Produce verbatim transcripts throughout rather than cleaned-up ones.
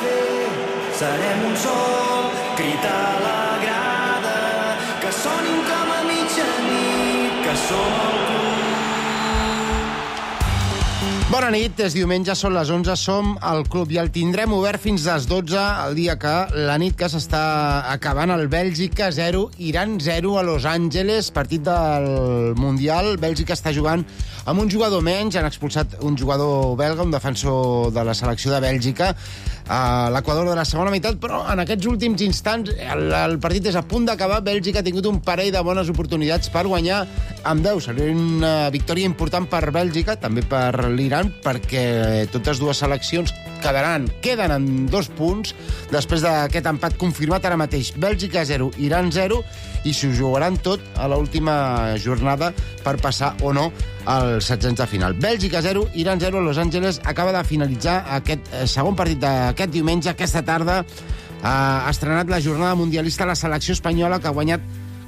fer. Serem un sol, crit a la grada, que sonin com a mitjanit, que som el club. Bona nit, és diumenge, són les onze, som al club i el tindrem obert fins les dotze, el dia que la nit que s'està acabant el Bèlgica zero, Iran zero a Los Angeles, partit del Mundial. Bèlgica està jugant amb un jugador menys, han expulsat un jugador belga, un defensor de la selecció de Bèlgica, a l'Equador de la segona meitat, però en aquests últims instants el, el partit és a punt d'acabar. Bèlgica ha tingut un parell de bones oportunitats per guanyar amb deu. Seria una victòria important per Bèlgica, també per l'Iran, perquè totes dues seleccions quedaran, queden en dos punts després d'aquest empat confirmat ara mateix. Bèlgica zero, Iran zero, i s'ho jugaran tot a l'última jornada per passar o no al setzents de final. Bèlgica zero, Iran zero, Los Angeles. Acaba de finalitzar aquest segon partit d'aquest diumenge. Aquesta tarda ha estrenat la jornada mundialista la selecció espanyola, que ha guanyat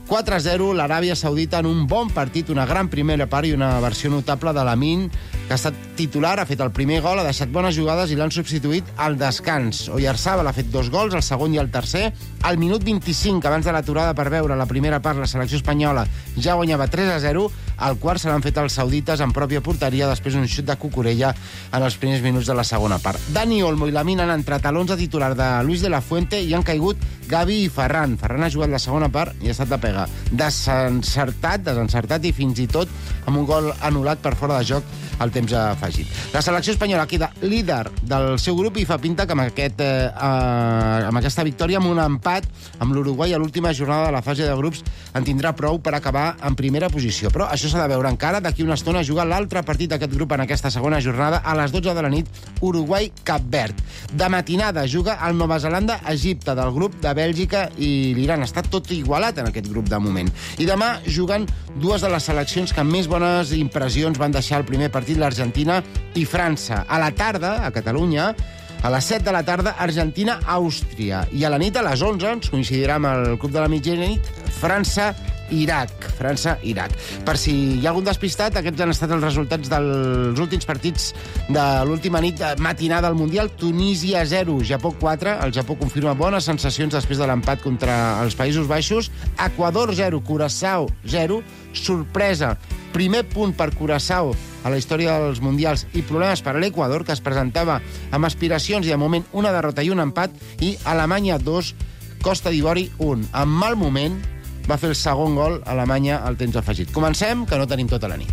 quatre a zero l'Aràbia Saudita en un bon partit, una gran primera part i una versió notable de Lamine, que ha estat titular, ha fet el primer gol, ha deixat bones jugades i l'han substituït al descans. Oyarzabal ha fet dos gols, el segon i el tercer. Al minut vint-i-cinc, abans de l'aturada per veure la primera part, la selecció espanyola ja guanyava tres a zero. Al quart se l'han fet els saudites en pròpia porteria, després un xut de Cucurella en els primers minuts de la segona part. Dani Olmo i Lamine han entrat a l'onze titular de Luis de la Fuente i han caigut Gavi i Ferran. Ferran ha jugat la segona part i ha estat de pega. Desencertat, desencertat i fins i tot amb un gol anul·lat per fora de joc al temps afegit. La selecció espanyola queda líder del seu grup i fa pinta que amb, aquest, eh, amb aquesta victòria, amb un empat amb l'Uruguai a l'última jornada de la fase de grups, en tindrà prou per acabar en primera posició. Però això s'ha de veure encara. D'aquí una estona juga l'altre partit d'aquest grup en aquesta segona jornada a les dotze de la nit, Uruguai-Cap Verd. De matinada juga el Nova Zelanda-Egipte del grup de Bèlgica i l'Iran. Està tot igualat en aquest grup de moment. I demà juguen dues de les seleccions que més bones impressions van deixar el primer partit, l'Argentina i França. A la tarda, a Catalunya, a les set de la tarda, Argentina-Àustria. I a la nit, a les onze, ens coincidirà amb el club de la mitjanit, França-Irac. França-Irac. Per si hi ha algun despistat, aquests han estat els resultats dels últims partits de l'última nit matinada del Mundial. Tunísia zero, Japó quatre. El Japó confirma bones sensacions després de l'empat contra els Països Baixos. Equador zero, Curaçao zero. Sorpresa. Primer punt per Curaçao a la història dels Mundials i problemes per a l'Equador, que es presentava amb aspiracions i de moment una derrota i un empat, i Alemanya dos, Costa d'Ivori un. En mal moment va fer el segon gol a Alemanya al temps afegit. Comencem, que no tenim tota la nit.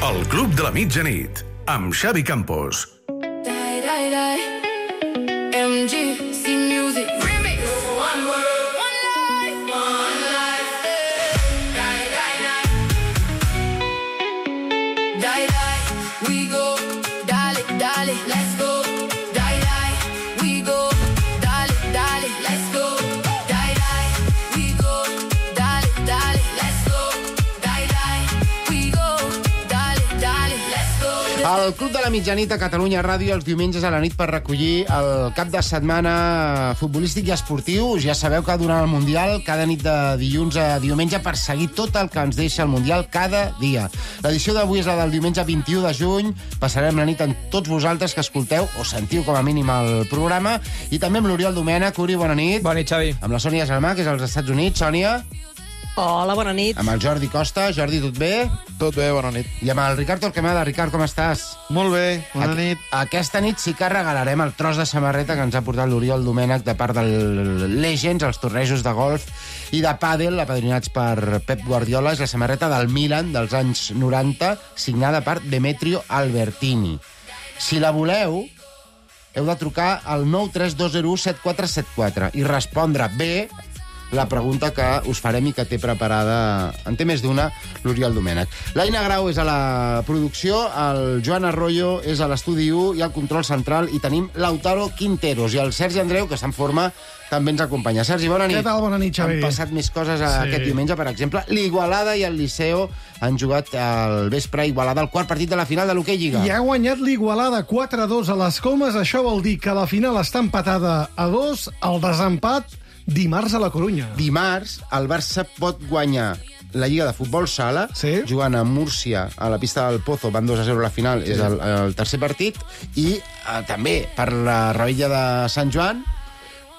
El Club de la Mitjanit, amb Xavi Campos. M G C Music Remix. One world, one life, one life. Die, die, die. Die, die. We go. Dale, dale. Let's go. Die, die. We go. Dale, dale. Let's go. Die, die. We go. Dale, dale. Let's go. Die, die. We go. Dale, dale. Let's go. El Club de la Mitjanit a Catalunya Ràdio els diumenges a la nit per recollir el cap de setmana futbolístic i esportiu. Ja sabeu que durant el Mundial, cada nit de dilluns a diumenge, per seguir tot el que ens deixa el Mundial cada dia. L'edició d'avui és la del diumenge vint-i-u de juny. Passarem la nit amb tots vosaltres que escolteu o sentiu com a mínim el programa, i també amb l'Oriol Domènech. Uri, bona nit. Bona nit, Xavi. Amb la Sònia Germà, que és als Estats Units. Sònia. Hola, bona nit. Amb el Jordi Costa. Jordi, tot bé? Tot bé, bona nit. I amb el Ricard Torquemada. Ricard, com estàs? Molt bé, bona nit. Aquesta nit sí que regalarem el tros de samarreta que ens ha portat l'Oriol Domènech de part del Legends, els tornejos de golf i de pàdel, apadrinats per Pep Guardiola. És la samarreta del Milan dels anys noranta, signada per Demetrio Albertini. Si la voleu, heu de trucar al nou tres dos zero u set quatre set quatre i respondre bé la pregunta que us farem i que té preparada, en té més d'una, l'Oriol Domènech. L'Aina Grau és a la producció, el Joan Arroyo és a l'estudi u i al control central, i tenim Lautaro Quinteros i el Sergi Andreu, que està en forma, també ens acompanya. Sergi, bona nit. Què tal? Bona nit, Xavi. Han passat més coses sí. aquest diumenge, per exemple. L'Igualada i el Liceo han jugat al vespre a Igualada el quart partit de la final de l'Hoquei Lliga. I ha guanyat l'Igualada quatre a dos a les Comes. Això vol dir que la final està empatada a dos. El desempat dimarts a la Corunya. Dimarts, el Barça pot guanyar la Lliga de Futbol Sala, Sí. jugant a Múrcia, a la pista del Pozo, van dos a zero a la final, és el, el tercer partit, i eh, també per la rebella de Sant Joan,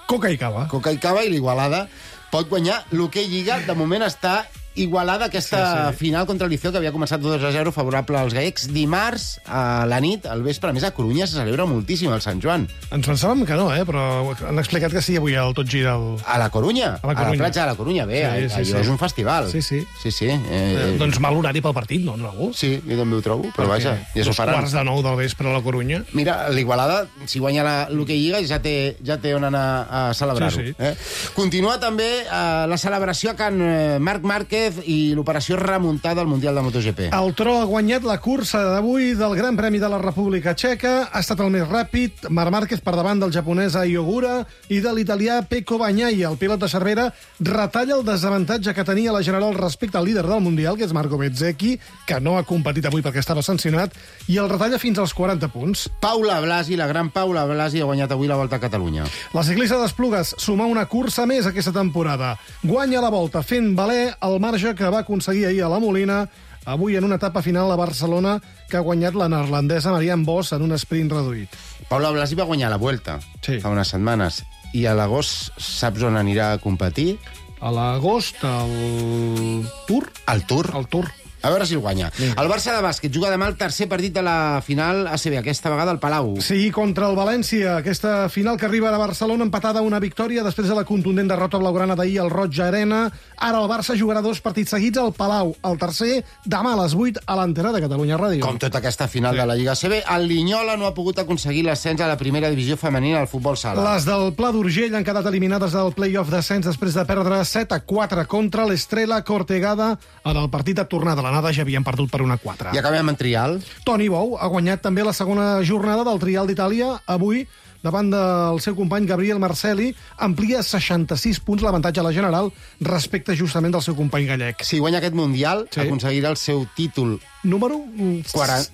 Coca i cava. Coca i Cava, i l'Igualada pot guanyar l'Hockey Lliga. De moment està igualada aquesta Sí, sí. final contra el Liceo, que havia començat dos a zero favorable als gallecs. Dimarts, a la nit, al vespre, a més a Corunya se celebra moltíssim el Sant Joan. Ens pensàvem que no, eh? Però han explicat que sí avui el Tot Gira. El... A la Corunya, A la a la Corunya. platja de la Corunya, bé, Sí, sí, allò sí. és un festival. Sí, sí. Sí, sí. Eh, Eh, doncs mal horari pel partit, no? no? Sí, jo també ho trobo, però vaja, ja s'ho Dos faran. quarts de nou del vespre a la Corunya. Mira, l'Igualada, si guanya la- l'Hockey Lliga, ja té, ja té on anar a celebrar-ho. Sí, sí. Eh? Continua també eh, la celebració a Can eh, Marc Márquez i l'operació remuntada al Mundial de MotoGP. El Tro ha guanyat la cursa d'avui del Gran Premi de la República Txeca. Ha estat el més ràpid. Marc Márquez per davant del japonès Ayogura i de l'italià Pecco Bagnaia. El pilot de Cervera retalla el desavantatge que tenia la General respecte al líder del Mundial, que és Marco Bezzecchi, que no ha competit avui perquè estava sancionat, i el retalla fins als quaranta punts. Paula Blasi, la gran Paula Blasi, ha guanyat avui la Volta a Catalunya. La ciclista d'Esplugues suma una cursa més aquesta temporada. Guanya la Volta fent valer el marge que va aconseguir ahir a la Molina, avui en una etapa final a Barcelona, que ha guanyat la neerlandesa Marianne Vos en un sprint reduït. Paula Blasi va guanyar la Vuelta Sí. fa unes setmanes, i a l'agost saps on anirà a competir? A l'agost, el Tour? Al Tour. El Tour. A veure si el guanya. El Barça de bàsquet juga demà el tercer partit de la final A C B, aquesta vegada al Palau. Sí, contra el València. Aquesta final que arriba a Barcelona empatada a una victòria després de la contundent derrota blaugrana d'ahir al Roig Arena. Ara el Barça jugarà dos partits seguits al Palau. El tercer, demà a les vuit a l'Antena de Catalunya Ràdio. Com tota aquesta final Sí. de la Lliga A C B, el Linyola no ha pogut aconseguir l'ascens a la primera divisió femenina al futbol sala. Les del Pla d'Urgell han quedat eliminades del play-off d'ascens després de perdre set a quatre contra l'Estrela Cortegada en el partit de tornada. L'anada ja havien perdut per una quatre. I acabem en trial. Toni Bou ha guanyat també la segona jornada del Trial d'Itàlia. Avui, davant del seu company Gabriel Marcelli, amplia seixanta-sis punts l'avantatge a la general respecte justament del seu company gallec. Si guanya aquest Mundial, Sí. aconseguirà el seu títol Número... mm,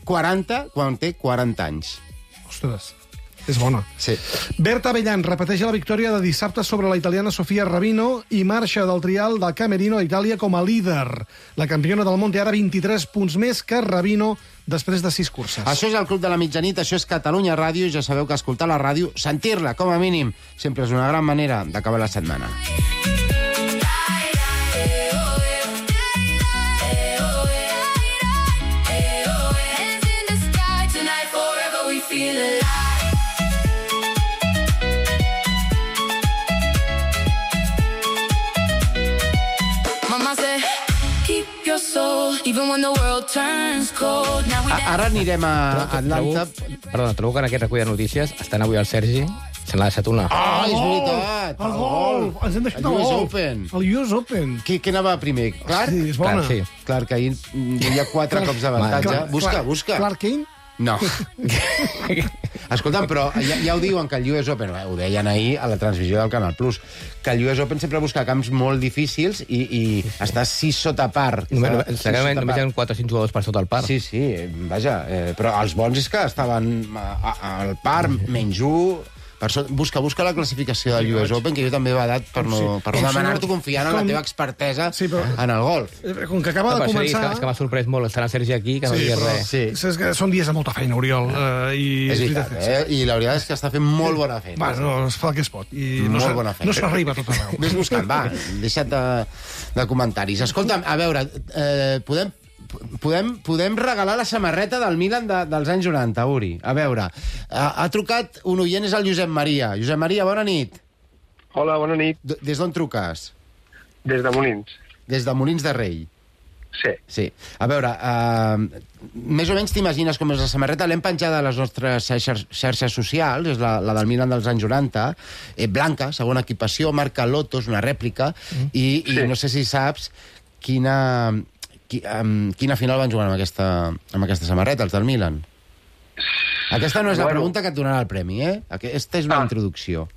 quaranta quan té quaranta anys. Ostres, és bona. Sí. Berta Bellan repeteix la victòria de dissabte sobre la italiana Sofia Rabino i marxa del trial del Camerino a Itàlia com a líder. La campiona del món té ara vint-i-tres punts més que Rabino després de sis curses. Això és el Club de la Mitjanit, això és Catalunya Ràdio, i ja sabeu que escoltar la ràdio, sentir-la, com a mínim, sempre és una gran manera d'acabar la setmana. Hands in the sky tonight, forever we feel alive. Mama said, keep your soul, even when the world turns cold. Now we A- Ara anirem a Atlanta. Perdona, trobo que en aquest recull de notícies estan avui el Sergi, se n'ha deixat una. Ah, és El gol! veritat! El gol! Ens hem deixat El el U S gol. Open. El U S Open. Qui, qui anava primer? Clark? Sí, és bona. Clar, sí. Clar, que ahir hi ha quatre cops d'avantatge. Clark- Busca, Clark- busca. Clark Kane? No. Escolta'm, però ja, ja ho diuen que el U S Open, ho deien ahir a la transmissió del Canal Plus, que el U S Open sempre busca camps molt difícils i, i està sis sota par. Només, Està sis segurament sota només hi par. ha quatre o cinc jugadors per sota el par. Sí, sí, eh, vaja, eh, però els bons és que estaven a- a- al par, menys un... Per so, busca, busca la classificació del U S Open, que jo també he badat per no, per no Com si demanar-t'ho no- confiant en la com- teva expertesa Sí, però- en el golf. Eh, Com que acaba No, de però, Sergi, és, començar... que, és que m'ha sorprès molt estar el Sergi aquí, que no Sí, digués però- res. Sí. És que són dies de molta feina, Oriol. Eh, i És veritat, eh? I la veritat és que està fent molt bona feina. Va, no, es fa el que es pot. I no Molt s'ha- bona feina. no s'arriba a tot arreu. Ves buscant, va, deixa't de, de comentaris. Escolta'm, a veure, eh, podem, podem, podem regalar la samarreta del Milan de, dels anys noranta, Uri. A veure, ha, ha trucat un oient, és el Josep Maria. Josep Maria, bona nit. Hola, bona nit. D Des d'on truques? Des de Molins. Des de Molins de Rei. Sí. Sí. A veure, eh, més o menys t'imagines com és la samarreta. L'hem penjada a les nostres xarxes, xarxes socials, és la, la del Milan dels anys noranta, eh, blanca, segona equipació, marca Lotos, una rèplica, mm. i, i Sí. no sé si saps quina, qui, um, quina final van jugar amb aquesta, amb aquesta samarreta, els del Milan. Aquesta no és la Bueno. pregunta que et donarà el premi, eh? Aquesta és una Ah. introducció.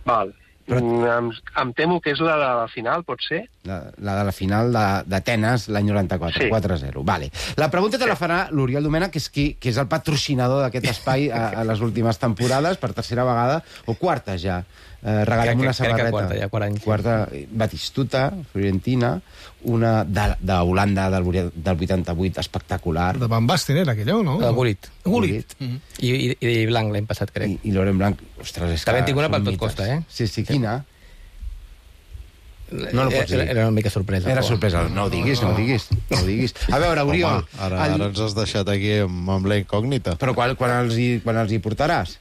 Val. Però- Mm, em, em temo que és la de la final, pot ser? La, la de la final de- d'Atenes l'any noranta-quatre, Sí. quatre a zero. Vale. La pregunta te la farà l'Oriol Domènech, que és, qui, que és el patrocinador d'aquest espai a, a les últimes temporades, per tercera vegada, o quarta ja. Eh, regalem Crec que- una crec que samarreta. quarta, ja, quatre anys. Quarta, Batistuta, Fiorentina, una de- d'Holanda del, vuit- del vuitanta-vuit, espectacular. De Van Basten era aquella, no? De Gullit. Gullit. I, i, i Blanc l'any passat, crec. I, i Loren Blanc, ostres, és També que en tinc una són per tot mites. costa, eh? Sí, sí, quina? No, no pots dir. Era, era una mica sorpresa. Era però- sorpresa. No ho diguis, no ho diguis. No ho diguis. A veure, Oriol... Home, ara, el- ara ens has deixat aquí amb, amb la incògnita. Però quan, quan, els hi, quan els hi portaràs?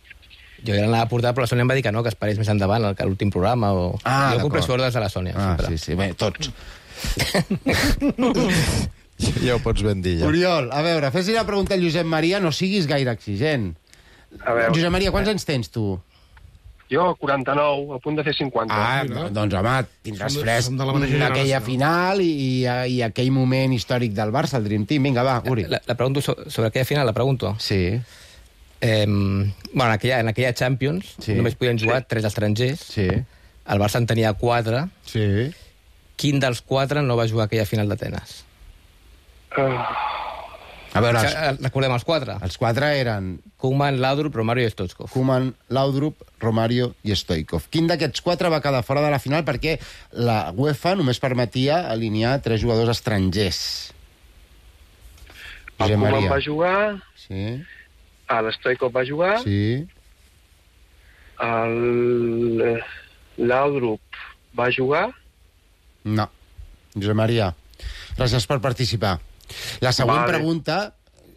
Jo ja l'anava a portar, però la Sònia em va dir que no, que esperés més endavant, que a l'últim programa. O... Ah, jo compro d'acord. ordres de la Sònia. Ah, sempre. sí, sí. Bé, tots. Ja ho pots ben dir, ja. Oriol, a veure, fes-li la pregunta al Josep Maria, no siguis gaire exigent. A veure, Josep Maria, quants anys tens, tu? jo, quaranta-nou, a punt de fer cinquanta. Ah, no, doncs, home, tindràs Som de- fresc som de la mateixa aquella generació. final i, i, i aquell moment històric del Barça, el Dream Team. Vinga, va, Uri. La, la pregunto so- sobre aquella final, la pregunto. Sí, Eh, bueno, en aquella, en aquella Champions Sí. només podien jugar tres estrangers. sí, El Barça en tenia quatre. sí. Quin dels quatre no va jugar aquella final d'Atenes? Uh, A veure, els, Eh, Recordem els quatre. els quatre eren Koeman, Laudrup, Romario i Stoichkov. Koeman, Laudrup, Romario i Stoichkov. Quin d'aquests quatre va quedar fora de la final perquè la UEFA només permetia alinear tres jugadors estrangers? el Josep Koeman Maria. va jugar, Sí, l'Stoichkov va jugar, sí. el eh, Laudrup va jugar, No. Josep Maria, gràcies per participar. La següent Vale. pregunta,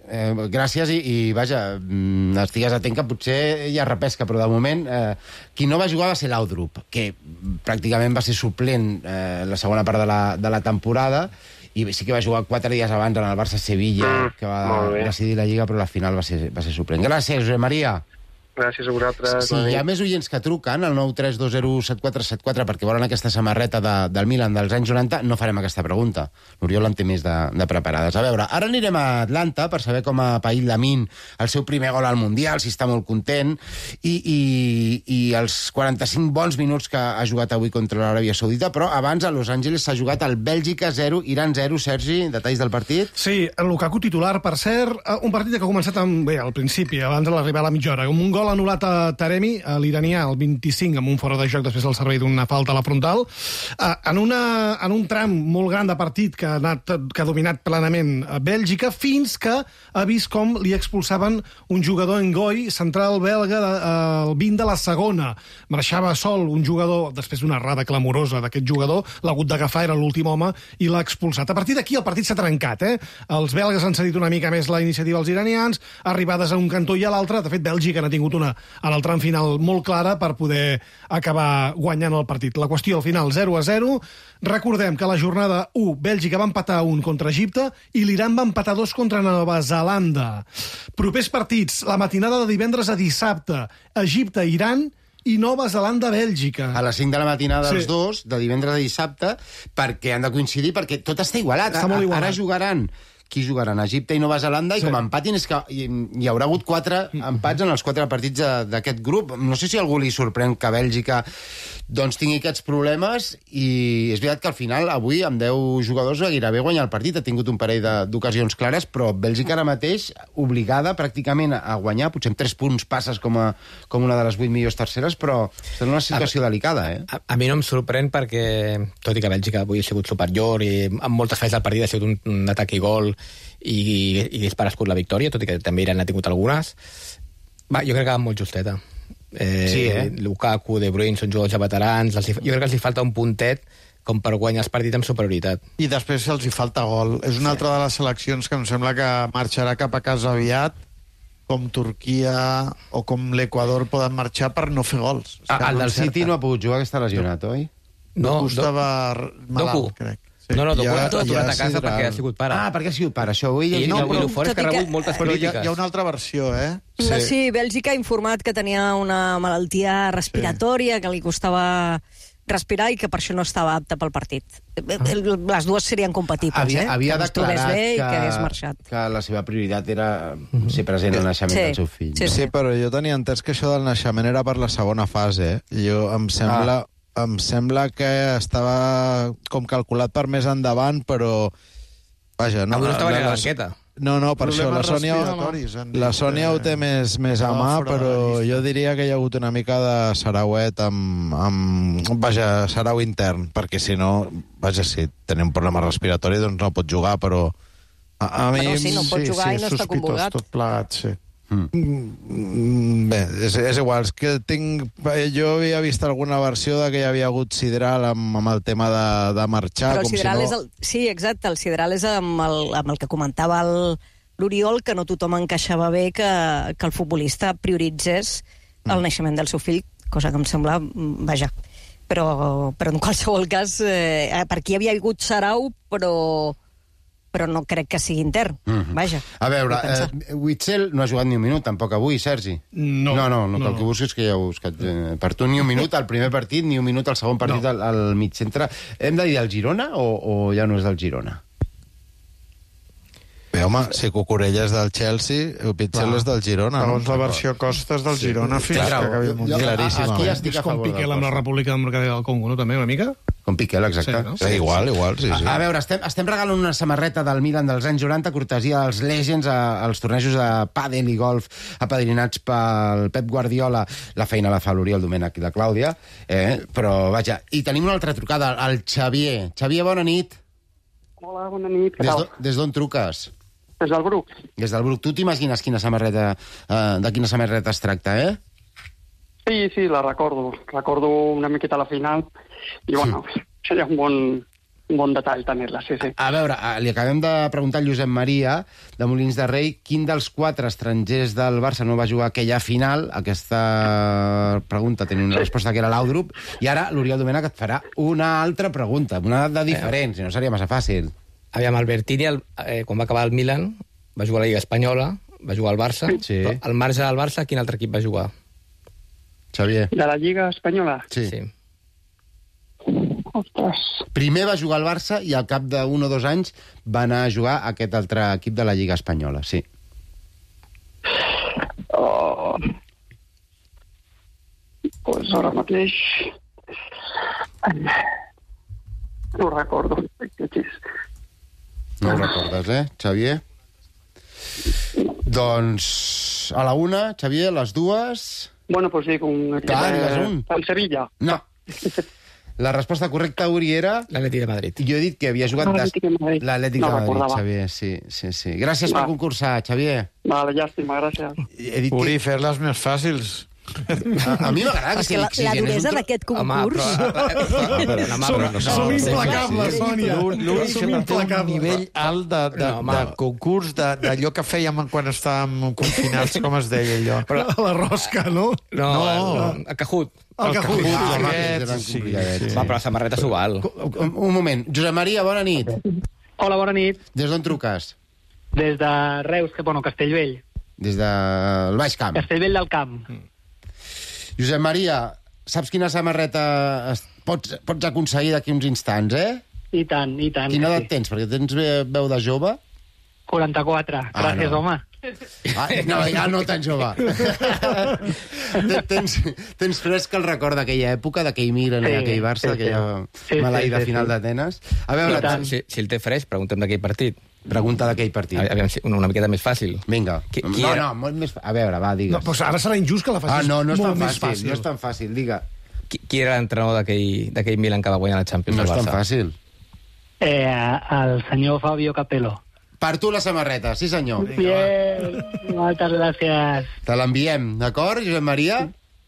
eh, gràcies i, i vaja, mm, estigues atent que potser hi ha repesca, però de moment eh, qui no va jugar va ser l'Audrup, que pràcticament va ser suplent eh, la segona part de la, de la temporada i sí que va jugar quatre dies abans en el Barça-Sevilla, Mm, que va molt bé. decidir la Lliga, però la final va ser, va ser suplent. Gràcies, Josep Maria. gràcies a vosaltres. Si hi ha més oients que truquen al nou tres dos zero set quatre set quatre perquè volen aquesta samarreta de, del Milan dels anys noranta, no farem aquesta pregunta. L'Oriol en té més de, de preparades. A veure, ara anirem a Atlanta per saber com ha paït Lamine el seu primer gol al Mundial, si està molt content, i, i, i els quaranta-cinc bons minuts que ha jugat avui contra l'Aràbia Saudita, però abans a Los Angeles s'ha jugat el Bèlgica zero, Iran zero. Sergi, detalls del partit? Sí, el Lukaku titular, per cert, eh, un partit que ha començat amb, bé, al principi, abans de l'arribar a la mitja hora, amb un gol anul·lat a Taremi, a l'iranià, el vint-i-cinc, amb un fora de joc després del servei d'una falta a la frontal, eh, en, una, en un tram molt gran de partit que ha, anat, que ha dominat plenament a Bèlgica, fins que ha vist com li expulsaven un jugador en Goi, central belga, eh, el vint de la segona. Marxava sol un jugador, després d'una errada clamorosa d'aquest jugador, l'ha hagut d'agafar, era l'últim home, i l'ha expulsat. A partir d'aquí el partit s'ha trencat, eh? Els belgues han cedit una mica més la iniciativa als iranians, arribades a un cantó i a l'altre. De fet, Bèlgica n'ha tingut una en el tram final molt clara per poder acabar guanyant el partit. La qüestió al final zero a zero. Recordem que a la jornada u Bèlgica va empatar un contra Egipte i l'Iran va empatar dos contra Nova Zelanda. Propers partits, la matinada de divendres a dissabte, Egipte-Iran i Nova Zelanda-Bèlgica. A les cinc de la matinada dels Sí. dos, de divendres a dissabte, perquè han de coincidir, perquè tot està igualat. Està molt A- igualat. Ara jugaran qui jugaran? Egipte i Nova Zelanda, Sí. i com empatin és que hi, hi haurà hagut quatre empats en els quatre partits de- d'aquest grup. No sé si a algú li sorprèn que Bèlgica doncs, tingui aquests problemes, i és veritat que al final, avui, amb deu jugadors, gairebé guanyar el partit. Ha tingut un parell de- d'ocasions clares, però Bèlgica ara mateix, obligada pràcticament a guanyar, potser amb tres punts passes com, a, com una de les vuit millors terceres, però està en una situació delicada, eh? A, a mi no em sorprèn perquè, tot i que Bèlgica avui ha sigut superior i amb moltes fases del partit ha sigut un, un atac i gol i, i hagués parescut la victòria, tot i que també Iran ha tingut algunes, va, jo crec que va molt justeta. Eh, Sí, eh? Lukaku, De Bruyne són jugadors ja veterans, els hi, jo crec que els hi falta un puntet com per guanyar els partits amb superioritat. I després els hi falta gol. És una altra de les seleccions que em sembla que marxarà cap a casa aviat, com Turquia o com l'Equador poden marxar per no fer gols. És que Ah, el del encerta. City no ha pogut jugar, que està lesionat, oi? Doku do- estava malalt, Doku. crec. No, no, Doku Ja- ha tornat ja a casa serà- perquè ha sigut pare. Ah, perquè ha sigut pare, això. Avui I, llegit no, algú- i el fort és Tot que ha i que- rebut moltes Però hi ha, crítiques. hi ha una altra versió, eh? Sí. sí, Bèlgica ha informat que tenia una malaltia respiratòria, sí. que li costava respirar i que per això no estava apte pel partit. Les dues serien compatibles, havia, eh? havia que no es trobés declarat bé i que, que hagués marxat. que la seva prioritat era ser present al naixement Sí, del seu fill. sí, Sí, però jo tenia entès que això del naixement era per la segona fase. Eh? Jo em sembla... Ah. em sembla que estava com calculat per més endavant, però... Vaja, no... Avui no estava ni a la les- banqueta. No, no, per això la Problemes Sònia, respiratoris, han dit eh, la Sònia ho té més, més a estava mà, fora de però la llista. jo diria que hi ha hagut una mica de sarauet amb, amb... Vaja, sarau intern, perquè si no, vaja, si tenia un problema respiratori, doncs no pot jugar, però... A, a mi... Però sí, no pot jugar i és no està sospitós convocat. tot plegat, sí. Mm. Bé, és, és igual, és que tinc... Jo havia vist alguna versió de que hi havia hagut Sidral amb, amb el tema de, de marxar, Però el com Sidral si no... és el... Sí, exacte, el Sidral és amb el, amb el que comentava el- l'Oriol, que no tothom encaixava bé que, que el futbolista prioritzés el naixement del seu fill, cosa que em sembla... mm, Vaja, però, però en qualsevol cas, eh, per aquí havia hagut sarau, però però no crec que sigui intern. Mhm. Vaja. A veure, vull pensar. eh, Witzel no ha jugat ni un minut, tampoc avui, Sergi. No. No, no, no, No, que el que no. busques que ja ho he buscat. Eh, per tu ni un minut al primer partit, ni un minut al segon partit No. al, al mig centre. Hem de dir del Girona o, o ja no és del Girona? Bé, home, si Cucurella és del Chelsea, Witzel Clar. és del Girona. Segons no? la versió Costes del Girona fins Clar, que acabi el jo- Mundial. claríssimament. Aquí ja estic És a com favor Piqué del amb la Costa. República Democràtica del Congo, no? També, una mica? Com Piquel, exacte. Sí, no? Sí, igual, igual, sí, sí. A, a veure, estem, estem regalant una samarreta del Milan dels anys noranta, cortesia dels Legends, a, als tornejos de pàdel i golf apadrinats pel Pep Guardiola. La feina la fa l'Oriol Domènech i la Clàudia, eh? Però, vaja, i tenim una altra trucada, el Xavier. Xavier, bona nit. Hola, bona nit, què Des tal? d'on- Des d'on truques? Des del Bruc. Des del Bruc. Tu t'imagines quina samarreta, eh, de quina samarreta es tracta, eh? Sí, sí, la recordo. Recordo una miqueta la final i, bueno, seria un bon, un bon detall tenir-la, sí, sí. A veure, eh, li acabem de preguntar al Josep Maria, de Molins de Rei, quin dels quatre estrangers del Barça no va jugar aquella final. Aquesta pregunta tenia una resposta que era l'Audrup, i ara l'Oriol Domènech et farà una altra pregunta, una de diferent, si no seria massa fàcil. Aviam, Albertini, el, eh, quan va acabar el Milan, va jugar a la Lliga Espanyola, va jugar al Barça, Sí. però al marge del Barça, quin altre equip va jugar? Xavier. De la Lliga Espanyola? Sí. sí. Ostres. Primer va jugar al Barça i al cap d'un o dos anys va anar a jugar a aquest altre equip de la Lliga Espanyola, sí. Oh. Pues ara mateix... Ai. No ho recordo. No ho recordes, eh, Xavier? Doncs a la una, Xavier, a les dues... Bueno, pues sí, un... Clar, digues un. El Sevilla. No. La resposta correcta, Uri, era... L'Atleti de Madrid. Jo he dit que havia jugat... L'Atlètic de Madrid. L'Atlètic No de Madrid, recordava. Xavier, sí, sí, sí. Gràcies Va. per concursar, Xavier. Vale, llàstima, gràcies. He dit Uri, que... fer-les més fàcils. A, a mi m'agrada que És que sigui la, la exigent. És un duresa tro- d'aquest Home, concurs... però... Home, Som, però no, som no, implacables, Sònia. L'Uri Som sempre té un implacables. nivell alt de, de, No, home. de concurs, de- d'allò que fèiem quan estàvem confinats, com es deia allò. Però... La rosca, no? No, No. el, el Cajut. El Cajut. Ah, home, Aquests, eren sí, complicadets. sí. Va, però la samarreta s'ho val. Un, un moment. Josep Maria, bona nit. Hola, bona nit. Des d'on truques? Des de Reus, que bueno, Castellvell. Des del Baix Camp. Castellvell del Camp. Josep Maria, saps quina samarreta es- pots, pots aconseguir d'aquí uns instants, eh? I tant, i tant. Quina sí. edat tens? Perquè tens ve- veu de jove. quaranta-quatre. Ah, Gràcies, no. home. Ah, no, ja no tan jove. tens, tens fresc el record d'aquella època, d'aquell Milan i Sí, d'aquell Barça, sí, sí. aquella Sí, maleïda sí, sí, final sí. d'Atenes. A veure, I tant. Si, si el té fresc, preguntem d'aquell partit. pregunta d'aquell partit. Aviam, si- una, una miqueta més fàcil. Vinga. Qui- qui no, era? no, molt més... A veure, va, digues. No, però ara serà injust que la ah, facis no, no és molt tan més fàcil, no és tan fàcil, diga. Qui, qui era l'entrenador d'aquell d'aquell Milan que va guanyar la Champions No és del tan Barça? fàcil. Eh, el senyor Fabio Capello. Per tu la samarreta, sí senyor. Bien, moltes gràcies. Te l'enviem, d'acord, Josep Maria?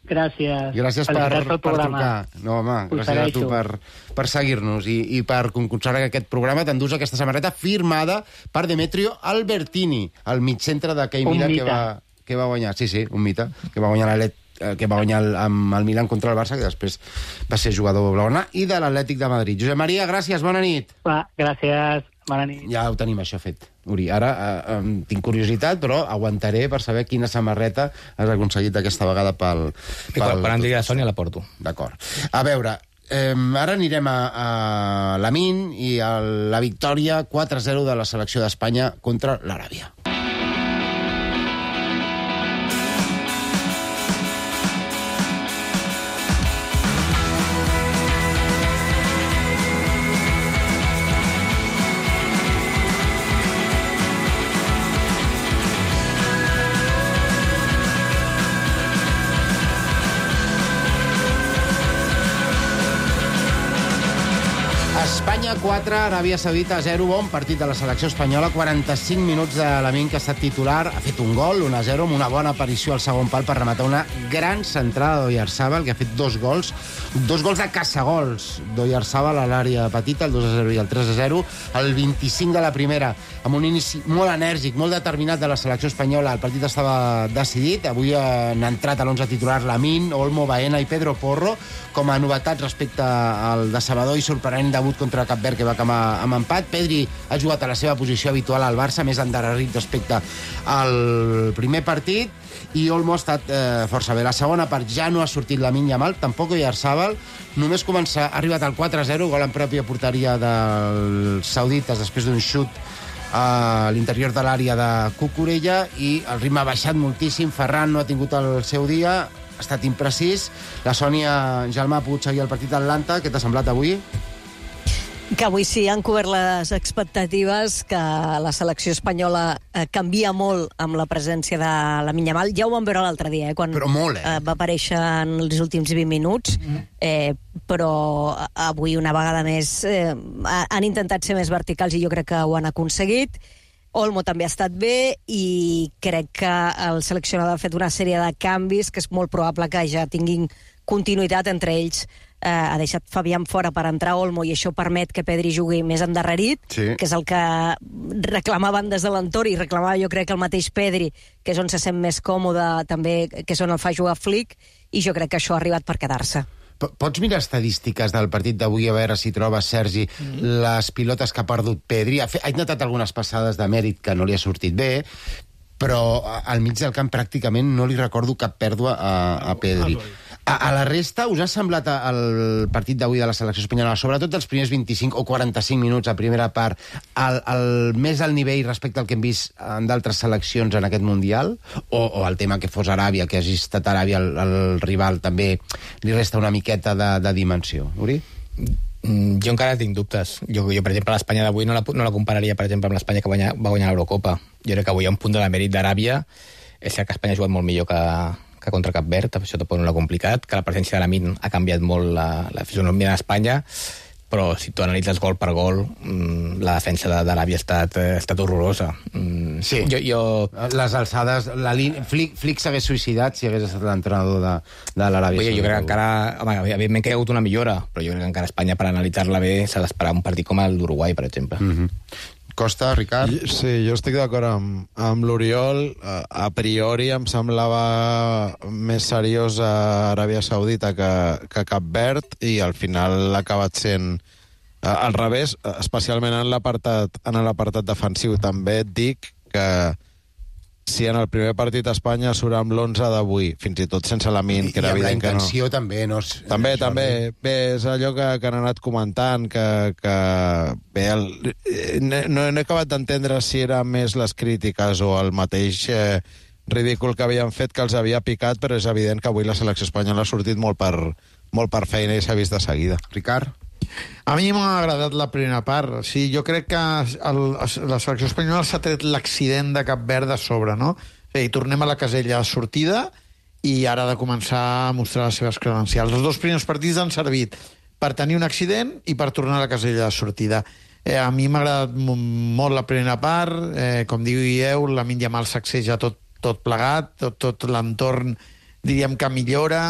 Gràcies. Gràcies per, Felicitats pel per programa. trucar. No, home, Us gràcies a tu segueixo. per, per seguir-nos i, i per concursar en aquest programa. T'endús aquesta samarreta firmada per Demetrio Albertini, el mitcentre d'aquell Un Milan que mite. va, que va guanyar. Sí, sí, un mite, que va guanyar l'Atlètic eh, que va guanyar el, amb el Milan contra el Barça, que després va ser jugador blaugrana, i de l'Atlètic de Madrid. Josep Maria, gràcies, bona nit. Va, gràcies. Bona nit. Ja ho tenim, això fet, Uri. Ara eh, eh, tinc curiositat, però aguantaré per saber quina samarreta has aconseguit aquesta vegada pel... I quan, quan em digui la Sònia la porto. D'acord. A veure, eh, ara anirem a, a l'Amin i a la victòria quatre a zero de la selecció d'Espanya contra l'Aràbia. Espanya quatre, Aràbia Saudita zero, bon partit de la selecció espanyola, quaranta-cinc minuts de Lamine, que ha estat titular, ha fet un gol, un a zero, amb una bona aparició al segon pal per rematar una gran centrada d'Oyarzabal, que ha fet dos gols, dos gols de caçagols d'Oyarzabal a l'àrea petita, el dos a zero i el tres a zero, el vint-i-cinc de la primera, amb un inici molt enèrgic, molt determinat de la selecció espanyola. El partit estava decidit, avui han entrat a l'onze titular Lamine, Olmo, Baena i Pedro Porro, com a novetats respecte al decebedor i sorprenent debut contra Cap Verd, que va acabar amb empat. Pedri ha jugat a la seva posició habitual al Barça, més endarrerit respecte al primer partit, i Olmo ha estat eh, força bé. La segona part ja no ha sortit Lamine Yamal, tampoc Oyarzabal, només començar, ha arribat al quatre a zero, gol en pròpia porteria dels saudites després d'un xut a l'interior de l'àrea de Cucurella, i el ritme ha baixat moltíssim. Ferran no ha tingut el seu dia, ha estat imprecís. La Sònia Gelmà ha pogut seguir el partit d'Atlanta. Què t'ha semblat avui? Que avui sí han cobert les expectatives, que la selecció espanyola eh, canvia molt amb la presència de Lamine Yamal. Ja ho vam veure l'altre dia, eh, quan però molt, eh? Eh, va aparèixer en els últims vint minuts, eh, però avui una vegada més eh, han intentat ser més verticals i jo crec que ho han aconseguit. Olmo també ha estat bé i crec que el seleccionador ha fet una sèrie de canvis que és molt probable que ja tinguin continuïtat entre ells. Eh, ha deixat Fabián fora per entrar Olmo i això permet que Pedri jugui més endarrerit, sí, que és el que reclamaven des de l'entorn i reclamava jo crec el mateix Pedri, que és on se sent més còmode també, que és on el fa jugar Flick, i jo crec que això ha arribat per quedar-se. Pots mirar estadístiques del partit d'avui, a veure si trobes, Sergi, mm. les pilotes que ha perdut Pedri? Ha, fet, ha intentat algunes passades de mèrit que no li ha sortit bé, però al mig del camp pràcticament no li recordo cap pèrdua a, a Pedri. A, a la resta, us ha semblat el partit d'avui de la selecció espanyola, sobretot els primers vint-i-cinc o quaranta-cinc minuts a primera part, el, el més al nivell respecte al que hem vist en d'altres seleccions en aquest Mundial? O, o el tema que fos Aràbia, que hagi estat Aràbia el, el rival, també li resta una miqueta de, de dimensió? Uri? Jo encara tinc dubtes. Jo, jo per exemple, l'Espanya d'avui no la, no la compararia, per exemple, amb l'Espanya que va guanyar, va guanyar l'Eurocopa. Jo crec que avui hi ha un punt de la mèrit d'Aràbia. És cert que Espanya ha jugat molt millor que, que contra Cap Verd, això tampoc no l'ha complicat, que la presència de Lamine ha canviat molt la, la fisonomia d'Espanya, però si tu analitzes gol per gol, la defensa d'Aràbia ha estat, ha estat horrorosa. Sí, jo, jo... les alçades, la línia... Flick, Flick s'hagués suïcidat si hagués estat l'entrenador de, de l'Aràbia Saudita. Jo crec que encara... Home, evidentment que hi ha hagut una millora, però jo crec que encara Espanya, per analitzar-la bé, s'ha d'esperar un partit com el d'Uruguai, per exemple. Mm-hmm. Costa, Ricard? Sí, jo estic d'acord amb, amb l'Oriol. A priori em semblava més seriós a Aràbia Saudita que, que Cap Verd, i al final ha acabat sent al revés, especialment en l'apartat en l'apartat defensiu. També et dic que si en el primer partit a Espanya surt amb l'onze d'avui, fins i tot sense Lamine, que era evident que no... I amb la intenció també, no? També, també. Bé, és allò que, que han anat comentant, que... que bé, el, no, no he acabat d'entendre si eren més les crítiques o el mateix eh, ridícul que havien fet que els havia picat, però és evident que avui la selecció espanyola ha sortit molt per, molt per feina i s'ha vist de seguida. Ricard? A mi m'ha agradat la primera part. Sí, jo crec que el, la selecció espanyola s'ha tret l'accident de Cap Verd de sobre, no? I tornem a la casella de sortida i ara ha de començar a mostrar les seves credencials. Els dos primers partits han servit per tenir un accident i per tornar a la casella de sortida. Eh, a mi m'ha agradat molt la primera part. Eh, com dieu, Lamine Yamal sacseja tot, tot plegat, tot, tot l'entorn, diríem que millora.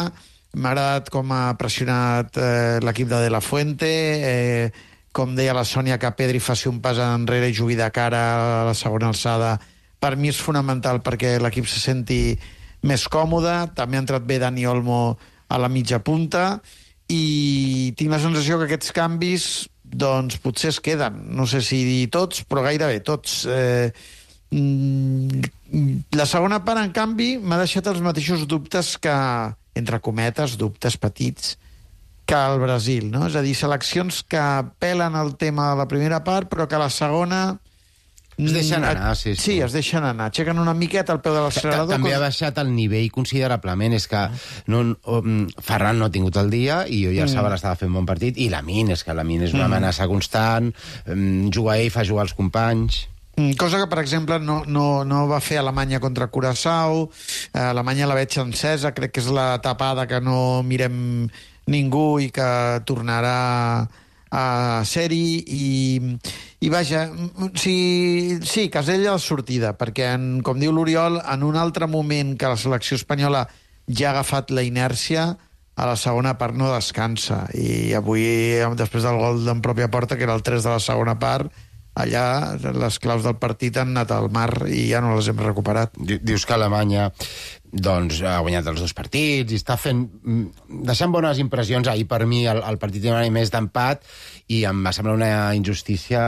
M'ha agradat com ha pressionat eh, l'equip de De La Fuente, eh, com deia la Sònia, que Pedri faci un pas enrere i jugui de cara a la segona alçada. Per mi és fonamental perquè l'equip se senti més còmode. També ha entrat bé Dani Olmo a la mitja punta i tinc la sensació que aquests canvis doncs potser es queden. No sé si tots, però gairebé tots. Eh, la segona part, en canvi, m'ha deixat els mateixos dubtes que, entre cometes, dubtes petits, que el Brasil, no? És a dir, seleccions que pelen el tema de la primera part, però que la segona... Es deixen anar, sí, sí. Sí, es deixen anar. Aixequen una miqueta al peu de l'accelerador. També ha baixat el nivell considerablement. És que no, Ferran no ha tingut el dia i Oyarzabal mm. estava fent bon partit, i Lamine, és que Lamine és una mm. amenaça constant, juga ell, fa jugar els companys... Cosa que, per exemple, no, no, no va fer Alemanya contra Curaçao. Alemanya la veig encesa, crec que és la tapada que no mirem ningú i que tornarà a seri i, i vaja, sí, sí, Casella a la sortida, perquè, en, com diu l'Oriol, en un altre moment que la selecció espanyola ja ha agafat la inèrcia, a la segona part no descansa. I avui, després del gol en pròpia porta, que era el tres de la segona part, allà les claus del partit han anat al mar i ja no les hem recuperat. Dius que Alemanya doncs, ha guanyat els dos partits i està fent, deixant bones impressions. Ahir, per mi, el, el partit era més d'empat i em va semblar una injustícia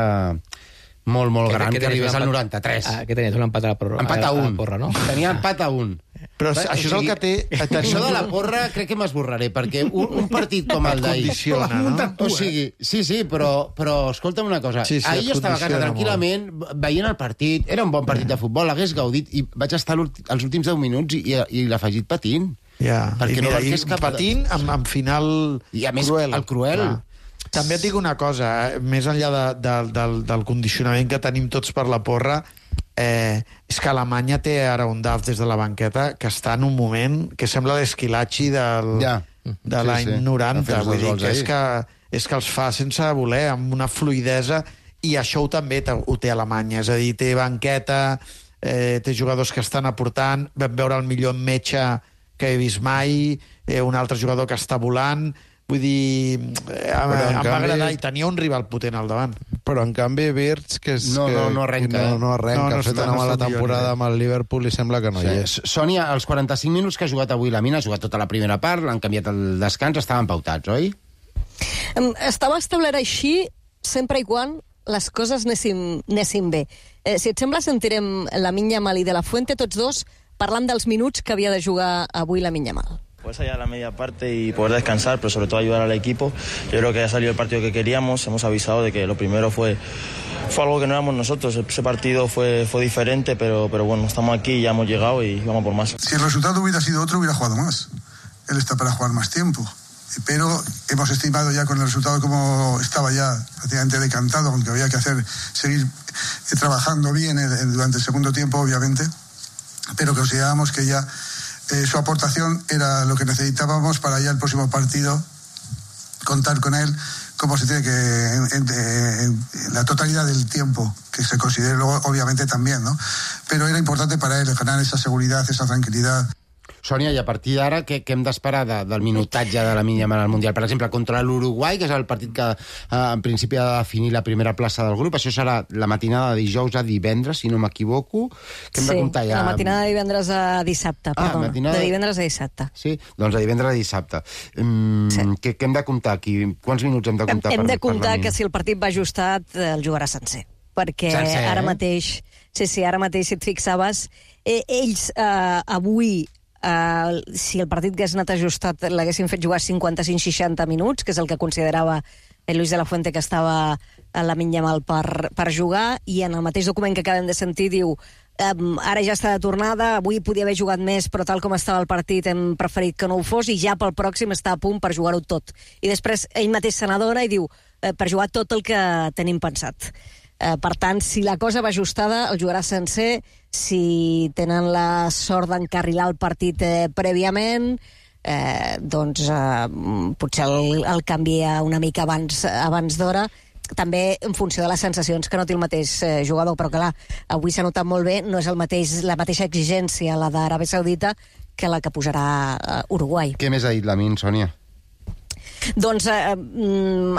molt, molt gran que, que, que arribés al noranta-tres. Ah, que tenies un empat a la porra, empat a, a, un. a la porra, no? Tenia empat a un. Però Bé, això és el que té... Això de la porra crec que m'esborraré, perquè un, un partit com el d'ahir... Condiciona, no? O sigui, sí, sí, però, però escolta'm una cosa. Sí, sí, ahir jo estava a casa tranquil·lament, molt. veient el partit, era un bon partit de futbol, l'hagués gaudit, i vaig estar els últims deu minuts i, i, i l'afegit patint. Ja, perquè i mira, no i patint amb, amb final I a més, cruel. el cruel... Clar. També et dic una cosa, eh? més enllà de, de, del, del condicionament que tenim tots per la porra, eh, és que Alemanya té ara un Duff des de la banqueta que està en un moment que sembla l'Esquilachi del, ja. de sí, l'any sí. noranta. Vull dir que és, que és que els fa sense voler, amb una fluidesa, i això ho també ho té Alemanya. És a dir, té banqueta, eh, té jugadors que estan aportant, vam veure el millor metge que he vist mai, eh, un altre jugador que està volant. Vull dir, eh, em, em canvi... va agradar, i tenia un rival potent al davant. Però, en canvi, Wirtz, que és... No, que, no, no arrenca. No, no arrenca, no, no ha fet una mala temporada amb el Liverpool i sembla que no sí. hi és. Sònia, els quaranta-cinc minuts que ha jugat avui la Mina, ha jugat tota la primera part, l'han canviat el descans, estaven pautats, oi? Estava establert així sempre i quan les coses anessin, anessin bé. Eh, si et sembla, sentirem la Minya Mal i de la Fuente, tots dos, parlant dels minuts que havia de jugar avui la Minya Mal. Pues allá la media parte y poder descansar, pero sobre todo ayudar al equipo. Yo creo que ha salido el partido que queríamos, hemos avisado de que lo primero fue, fue algo que no éramos nosotros, ese partido fue, fue diferente, pero, pero bueno, estamos aquí, ya hemos llegado y vamos por más. Si el resultado hubiera sido otro, hubiera jugado más. Él está para jugar más tiempo, pero hemos estimado ya con el resultado como estaba ya prácticamente decantado, aunque había que hacer, seguir trabajando bien durante el segundo tiempo, obviamente, pero considerábamos que ya Eh, su aportación era lo que necesitábamos para ya el próximo partido contar con él como se tiene que en, en, en la totalidad del tiempo que se considere luego obviamente también, ¿no? Pero era importante para él ganar esa seguridad, esa tranquilidad. Sònia, i a partir d'ara, què, què hem d'esperar de, del minutatge de la Minya Mal al Mundial? Per exemple, contra l'Uruguai, que és el partit que eh, en principi ha de definir la primera plaça del grup, això serà la matinada de dijous a divendres, si no m'equivoco. Què hem sí, de comptar ja? la matinada de divendres a dissabte, ah, perdona. Matinada... De divendres a dissabte. Sí, doncs de divendres a dissabte. Mm, sí. què, què hem de comptar aquí? Quants minuts hem de comptar? Hem, hem per, de comptar que si el partit va ajustat, el jugarà sencer. Perquè sencer, ara eh? mateix, sí, sí, ara mateix, si et fixaves, eh, ells eh, avui Uh, si el partit hagués anat ajustat l'haguessin fet jugar cinquanta-cinc seixanta minuts, que és el que considerava el Luis de la Fuente que estava a la Minya Mal per, per jugar, i en el mateix document que acabem de sentir diu um, ara ja està de tornada, avui podia haver jugat més, però tal com estava el partit hem preferit que no ho fos, i ja pel pròxim està a punt per jugar-ho tot. I després ell mateix se n'adona i diu uh, per jugar tot el que tenim pensat. Eh, per tant, si la cosa va ajustada, el jugarà sencer. Si tenen la sort d'encarrilar el partit eh, prèviament, eh, doncs eh, potser el, el canvia una mica abans, abans d'hora, també en funció de les sensacions, que no té el mateix eh, jugador, però clar, avui s'ha notat molt bé, no és el mateix, la mateixa exigència la d'Aràbia Saudita que la que posarà eh, Uruguai. Què més ha dit la Min, Sònia? Doncs eh,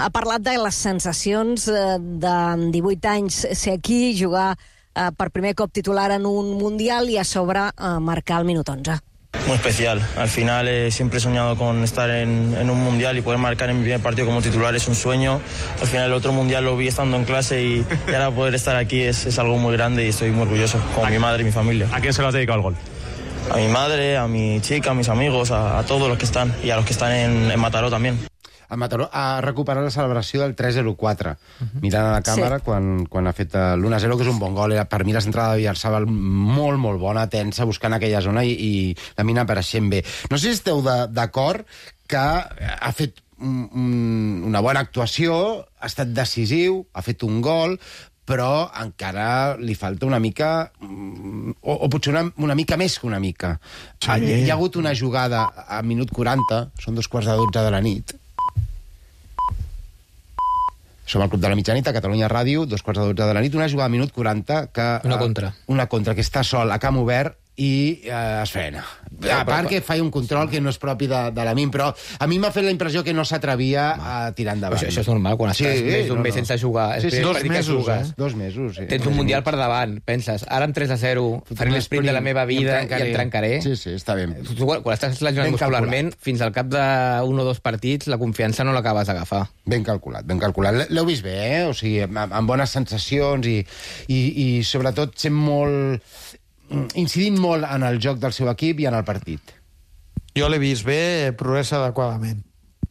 ha parlat de les sensacions eh, de divuit anys ser aquí, jugar eh, per primer cop titular en un Mundial i a sobre eh, marcar el minut onze. Muy especial. Al final eh, siempre he soñado con estar en, en un Mundial y poder marcar en mi primer partido como titular es un sueño. Al final el otro Mundial lo vi estando en clase y, y ahora poder estar aquí es, es algo muy grande y estoy muy orgulloso, con mi madre y mi familia. ¿A quién se lo has dedicado el gol? A mi madre, a mi chica, a mis amigos, a, a todos los que están y a los que están en, en Mataró también. A Mataró ha recuperat la celebració del tres zero quatre, uh-huh. mirant a la càmera sí. quan, quan ha fet l'u a zero, que és un bon gol. Era, per mi la centrada de Villarsabal molt, molt bona, tensa, buscant aquella zona i, i la Mina apareixent bé. No sé si esteu d'acord que ha fet un, un, una bona actuació, ha estat decisiu, ha fet un gol, però encara li falta una mica, o, o potser una, una mica més que una mica. Sí. Hi ha hagut una jugada a minut quaranta, són dos quarts de dotze de la nit, Som al Club de la Mitjanit, a Catalunya Ràdio, dos quarts de dotze de la nit, una jugada a minut quaranta que... Una contra. Uh, una contra, que està sol a camp obert i uh, es frena. A part que fa un control que no és propi de, de la M I M, però a mi m'ha fet la impressió que no s'atrevia a tirar endavant. Això, això és normal, quan estàs sí, més d'un no, mes no. sense jugar. Sí, sí, dos mesos, eh? Dos mesos, sí. Tens un mundial per davant, penses, ara amb tres a zero faré l'esprint de la meva vida i em, i em trencaré. Sí, sí, està bé. Tu, quan, quan estàs lesionat muscularment, fins al cap d'un o dos partits, la confiança no l'acabes d'agafar. Ben calculat, ben calculat. L'heu vist bé, eh? O sigui, amb, amb bones sensacions i, i, i sobretot sent molt... incidint molt en el joc del seu equip i en el partit. Jo l'he vist bé, progressa adequadament.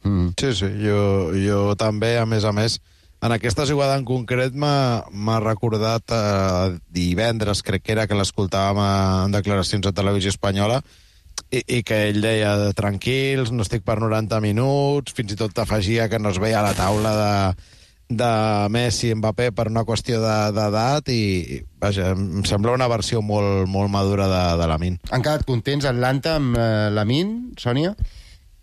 Mm. Sí, sí, jo, jo també, a més a més, en aquesta jugada en concret m'ha recordat eh, divendres, crec que era, que l'escoltàvem en declaracions a Televisió Espanyola, i, i que ell deia, tranquils, no estic per noranta minuts, fins i tot afegia que no es veia a la taula de... de Messi i Mbappé per una qüestió d'edat de, i, vaja, em sembla una versió molt, molt madura de, de Lamine. Han quedat contents Atlanta amb eh, Lamine, Sònia?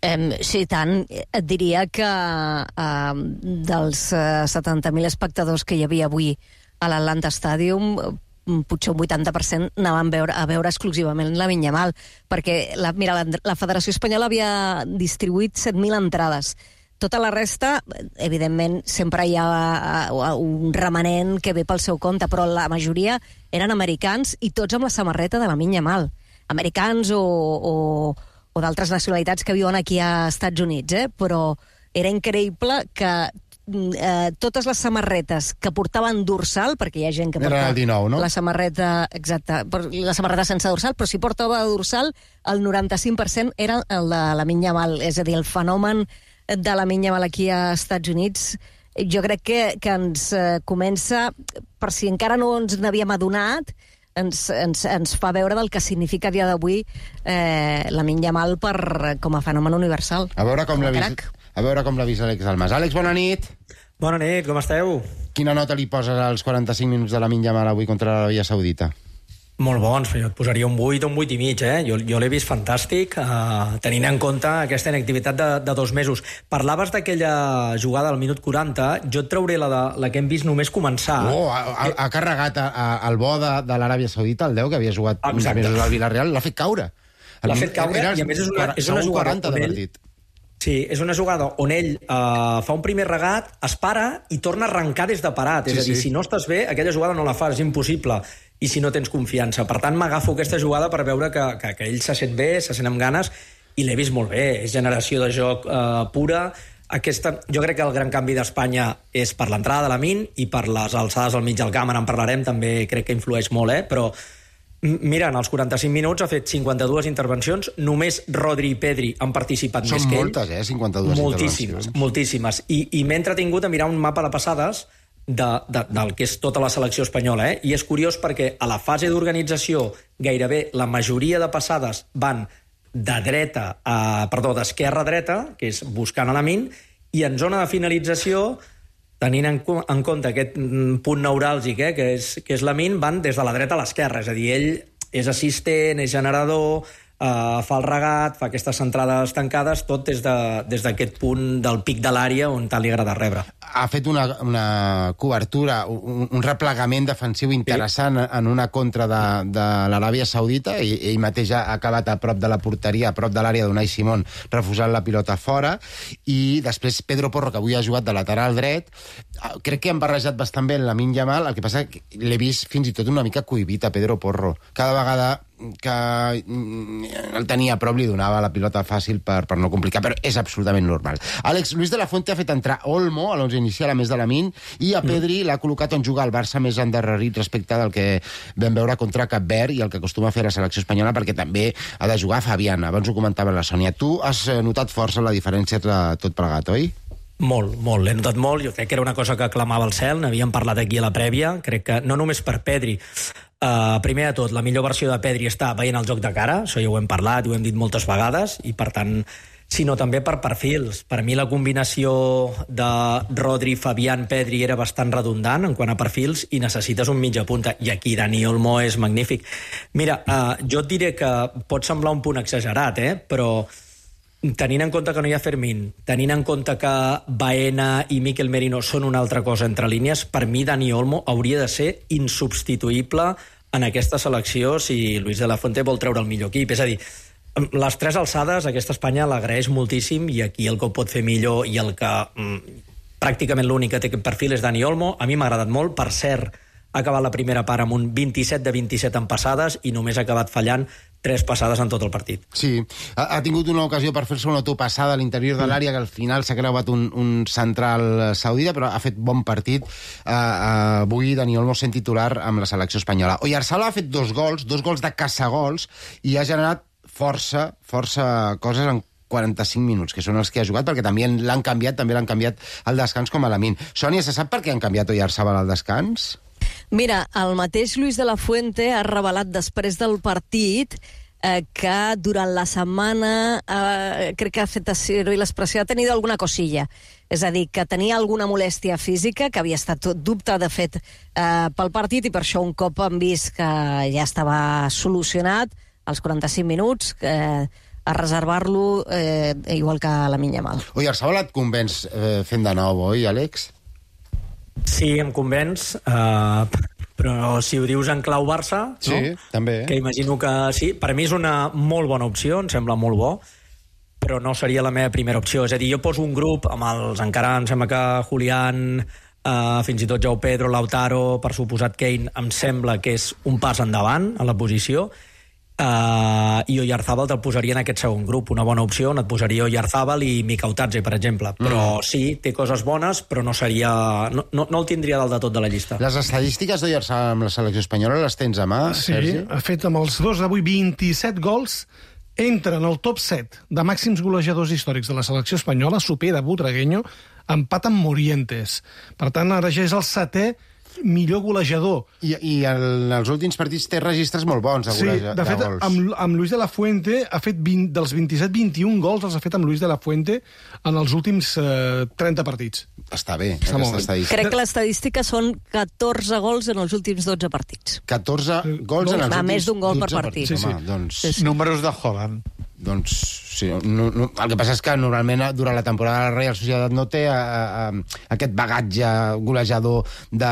Um, sí, tant. Et diria que uh, dels uh, setanta mil espectadors que hi havia avui a l'Atlanta Stadium, potser un vuitanta per cent anaven a veure, a veure exclusivament Lamine Yamal, perquè la, mira, la, la Federació Espanyola havia distribuït set mil entrades. Tota la resta, evidentment, sempre hi ha un remanent que ve pel seu compte, però la majoria eren americans i tots amb la samarreta de Lamine Yamal. Americans o, o, o d'altres nacionalitats que viuen aquí a Estats Units, eh? Però era increïble que eh, totes les samarretes que portaven dorsal, perquè hi ha gent que porta era el dinou, no? la samarreta, exacte, la samarreta sense dorsal, però si portava dorsal, el noranta-cinc per cent era el de Lamine Yamal, és a dir, el fenomen de Lamine Yamal aquí a Estats Units, jo crec que, que ens eh, comença, per si encara no ens n'havíem adonat, ens, ens, ens fa veure del que significa a dia d'avui eh, Lamine Yamal per, com a fenomen universal. A veure com l'ha vist, a veure com l'ha vist Àlex Almas. Àlex, bona nit. Bona nit, com esteu? Quina nota li poses als quaranta-cinc minuts de Lamine Yamal avui contra l'Aràbia Saudita? Molt bons, jo et posaria un vuit o un vuit i mig, eh? Jo, jo l'he vist fantàstic, eh, tenint en compte aquesta inactivitat de, de dos mesos. Parlaves d'aquella jugada al minut quaranta, jo et trauré la, de, la que hem vist només començar. Oh, ha, ha, ha carregat a, a, el bo de, de l'Aràbia Saudita, el deu, que havia jugat uns mesos al Villarreal, l'ha fet caure. L'ha fet caure, i a més és una, és una jugada on ell... Sí, és una jugada on ell eh, fa un primer regat, es para i torna a arrencar des de parat. Sí, és a dir, sí. Si no estàs bé, aquella jugada no la fas, és impossible. I si no tens confiança. Per tant, m'agafo aquesta jugada per veure que, que, que ell se sent bé, se sent amb ganes, i l'he vist molt bé. És generació de joc eh, pura. Aquesta, jo crec que el gran canvi d'Espanya és per l'entrada de Lamine i per les alçades al mig del camp, en parlarem, també crec que influeix molt, eh? Però mira, en els quaranta-cinc minuts ha fet cinquanta-dues intervencions, només Rodri i Pedri han participat Són més que ell. Són moltes, eh? cinquanta-dues moltíssimes, intervencions. Moltíssimes. I, i m'he entretingut a mirar un mapa de passades de, de, del que és tota la selecció espanyola, eh? I és curiós perquè a la fase d'organització gairebé la majoria de passades van de dreta a, perdó, d'esquerra a dreta, que és buscant a Lamine, i en zona de finalització, tenint en, en compte aquest punt neuràlgic, eh, que és, que és Lamine, van des de la dreta a l'esquerra, és a dir, ell és assistent, és generador, Uh, fa el regat, fa aquestes centrades tancades, tot des d'aquest de, des punt del pic de l'àrea on tant li agrada rebre. Ha fet una, una cobertura, un, un replegament defensiu interessant sí. en una contra de, de l'Aràbia Saudita, i ell mateix ha acabat a prop de la porteria, a prop de l'àrea d'Unai Simón, refusant la pilota fora, i després Pedro Porro, que avui ha jugat de lateral dret, crec que han barrejat bastant bé en Lamine Yamal, el que passa que l'he vist fins i tot una mica cohibit a Pedro Porro. Cada vegada que el tenia a prop li donava la pilota fàcil per, per no complicar, però és absolutament normal. Àlex, Luis de la Fuente ha fet entrar Olmo a l'onze inicial a més de Lamine, i a Pedri l'ha col·locat on juga el Barça més endarrerit respecte del que vam veure contra Cap Verd i el que acostuma a fer la selecció espanyola, perquè també ha de jugar Fabián. Abans ho comentava la Sònia. Tu has notat força la diferència de tot plegat, oi? Molt, molt, l'he notat molt. Jo crec que era una cosa que clamava al cel, n'havíem parlat aquí a la prèvia, crec que no només per Pedri. Uh, primer de tot, la millor versió de Pedri està veient el joc de cara, això ja ho hem parlat i ho hem dit moltes vegades, i per tant, sinó també per perfils. Per mi la combinació de Rodri, Fabián, Pedri era bastant redundant en quant a perfils, i necessites un mitja punta, i aquí Dani Olmo és magnífic. Mira, uh, jo et diré que pot semblar un punt exagerat, eh? Però tenint en compte que no hi ha Fermín, tenint en compte que Baena i Mikel Merino són una altra cosa entre línies, per mi Dani Olmo hauria de ser insubstituïble en aquesta selecció si Luis de la Fuente vol treure el millor equip. És a dir, les tres alçades aquesta Espanya l'agraeix moltíssim i aquí el que ho pot fer millor i el que mm, pràcticament l'únic que té aquest perfil és Dani Olmo. A mi m'ha agradat molt. Per cert, ha acabat la primera part amb un vint-i-set de vint-i-set en passades i només ha acabat fallant tres passades en tot el partit. Sí, ha, ha tingut una ocasió per fer-se una autopassada a l'interior de l'àrea, que al final s'ha creuat un, un central saudita, però ha fet bon partit. Uh, uh, avui Dani Olmo sent titular amb la selecció espanyola. Oyarzabal ha fet dos gols, dos gols de caçagols, i ha generat força, força coses en quaranta-cinc minuts, que són els que ha jugat, perquè també l'han canviat, també l'han canviat al descans com a Lamine. Sònia, se sap per què han canviat Oyarzabal al descans? Mira, el mateix Luis de la Fuente ha revelat després del partit eh, que durant la setmana eh, crec que ha fet servir l'expressió, ha tenido alguna cosilla. És a dir, que tenia alguna molèstia física, que havia estat dubte, de fet, eh, pel partit, i per això un cop han vist que ja estava solucionat, als quaranta-cinc minuts, eh, a reservar-lo eh, igual que la Yamal. Oyarzabal et convenç eh, fent de nou, oi, Àlex? Sí, em convenç, eh, però si ho dius en clau Barça, sí, no? També. Que imagino que sí. Per mi és una molt bona opció, em sembla molt bo, però no seria la meva primera opció. És a dir, jo poso un grup amb els, encara em sembla que Julián, eh, fins i tot João Pedro, Lautaro, per suposat Kane, em sembla que és un pas endavant a la posició. Uh, i Oyarzabal te'l posaria en aquest segon grup, una bona opció on et posaria Oyarzabal i Mikautatze, per exemple, però mm. sí, té coses bones, però no seria no, no, no el tindria dalt de tot de la llista. Les estadístiques d'Oyarzabal amb la selecció espanyola les tens a mà, sí, Sergi? Ha fet amb els dos d'avui vint-i-set gols, entra en el top set de màxims golejadors històrics de la selecció espanyola, supera Butragueño, empat amb Morientes. Per tant, ara ja és el setè millor golejador. I, i en els últims partits té registres molt bons de, goleja, sí, de fet, de gols. Amb, amb Luis de la Fuente ha fet vint, dels vint-i-set vint-i-un gols els ha fet amb Luis de la Fuente en els últims eh, trenta partits. Està bé, Està aquesta estadística. Crec que l'estadística són catorze gols en els últims dotze partits. catorze gols en els Va, últims més d'un gol per dotze partit. partits. Sí, sí. Home, doncs... Sí, sí. Números de Haaland. Doncs sí, no, no, el que passa és que normalment durant la temporada de la Real Societat no té a, a, a aquest bagatge golejador de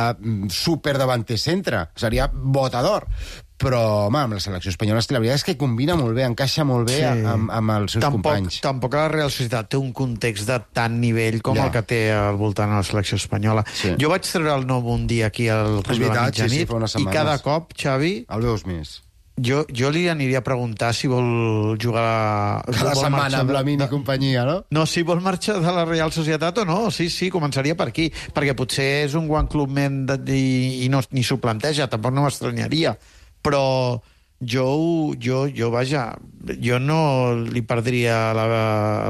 super davanter centre, seria botador. Però, home, amb la selecció espanyola és que la veritat és que combina molt bé, encaixa molt bé sí. amb, amb els seus tampoc, companys. Tampoc la Real Societat té un context de tant nivell com ja. el que té al voltant de la selecció espanyola. Sí. Jo vaig treure el nou un dia aquí al Club de la Mitjanit, sí, sí, i cada cop, Xavi... El veus més. Jo, jo li aniria a preguntar si vol jugar... Cada vol setmana amb la mini de... companyia, no? No, si vol marxar de la Real Societat o no. Sí, sí, començaria per aquí. Perquè potser és un one club men de, i, i no, ni s'ho planteja, tampoc no m'estranyaria. Però jo, jo, jo, vaja, jo no li perdria la,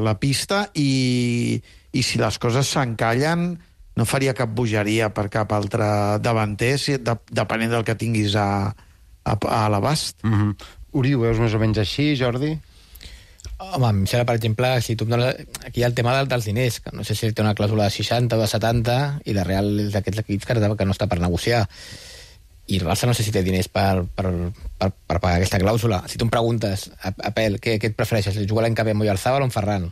la pista i, i si les coses s'encallen no faria cap bogeria per cap altre davanter, si, de, depenent del que tinguis a... a, a l'abast. Mm-hmm. Uri, ho veus més o menys així, Jordi? Home, em sembla, per exemple, si tu em dones... Aquí hi ha el tema dels diners, que no sé si té una clàusula de seixanta o de setanta, i la Real és d'aquests equips que no està per negociar. I el Barça no sé si té diners per, per, per, per pagar aquesta clàusula. Si tu em preguntes, Apel, què, què et prefereixes, jugar l'any que ve amb Oyarzabal o amb Ferran?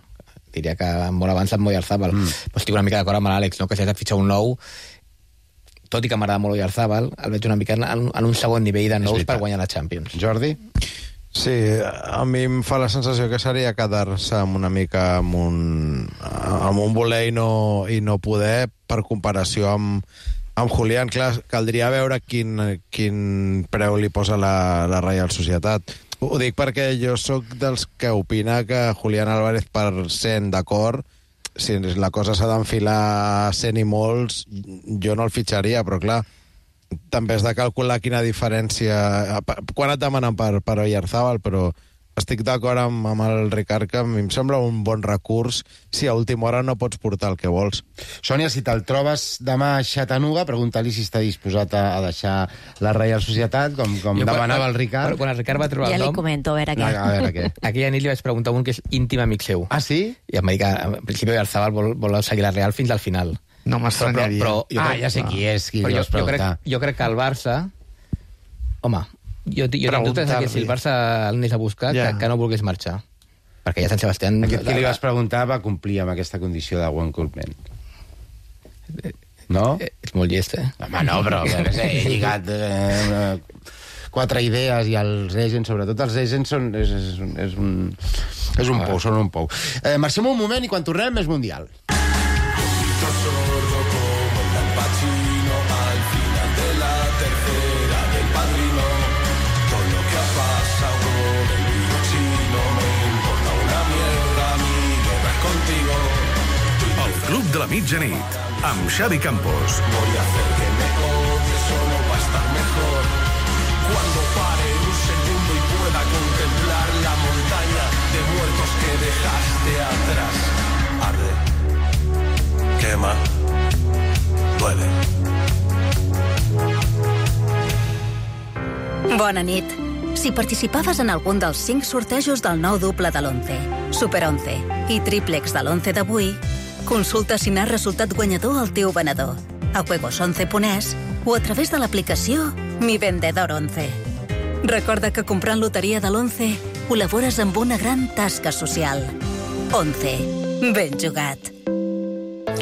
Diria que molt abans amb Oyarzabal. Mm. Pues estic una mica d'acord amb l'Àlex, no? Que si has de fitxar un nou, tot i que m'agrada molt Oyarzabal, el veig una mica en, en un segon nivell de nous per guanyar la Champions. Jordi? Sí, a mi em fa la sensació que seria quedar-se amb una mica amb un, amb un voler i no, i no poder, per comparació amb, amb Julián. Clar, caldria veure quin, quin preu li posa la, la Real Societat. Ho dic perquè jo sóc dels que opina que Julián Álvarez, per cent d'acord, si la cosa s'ha d'enfilar cent i molts, jo no el fitxaria, però clar, també has de calcular quina diferència... Quan et demanen per, per Oyarzabal, però estic d'acord amb, amb el Ricard, que a mi em sembla un bon recurs si a última hora no pots portar el que vols. Sònia, si te'l trobes demà a Chattanooga, pregunta-li si està disposat a, a deixar la Real Societat, com, com jo, demanava el Ricard. Quan el Ricard va trobar ja el nom... Ja li comento, a veure què. A veure què. Aquella nit li vaig preguntar a un que és íntim amic seu. Ah, sí? I em va dir que, en principi, Oyarzabal vol, vol seguir la Real fins al final. No m'estranyaria. Ah, ja sé qui és, qui però jo, jo, crec, jo crec que el Barça... Home, jo, jo tinc dubtes que si el Barça el anés a buscar, ja. que, que no volgués marxar. perquè ja Sant Sebastián... Aquest que li vas preguntar va complir amb aquesta condició de One Cool Man. No? És molt llest, eh? Home, no, però he lligat eh, quatre idees i els agents, sobretot els agents, són, és, és, és un, és un pou, són un pou. Eh, marxem un moment i quan tornem és Mundial. El Club de la Mitjanit, amb Xavi Campos. Voy a hacer que me odies solo para estar mejor. Cuando pare un segundo y pueda contemplar la montaña de muertos que dejaste atrás. Arde, quema, duele. Bona nit. Si participaves en algun dels cinc sortejos del nou doble de l'onze, Super onze i triplex de l'onze d'avui, consulta si n'has resultat guanyador al teu venedor, a juegos once punt es o a través de l'aplicació Mi Vendedor onze. Recorda que comprant loteria de l'onze col·labores amb una gran tasca social. onze. Ben jugat.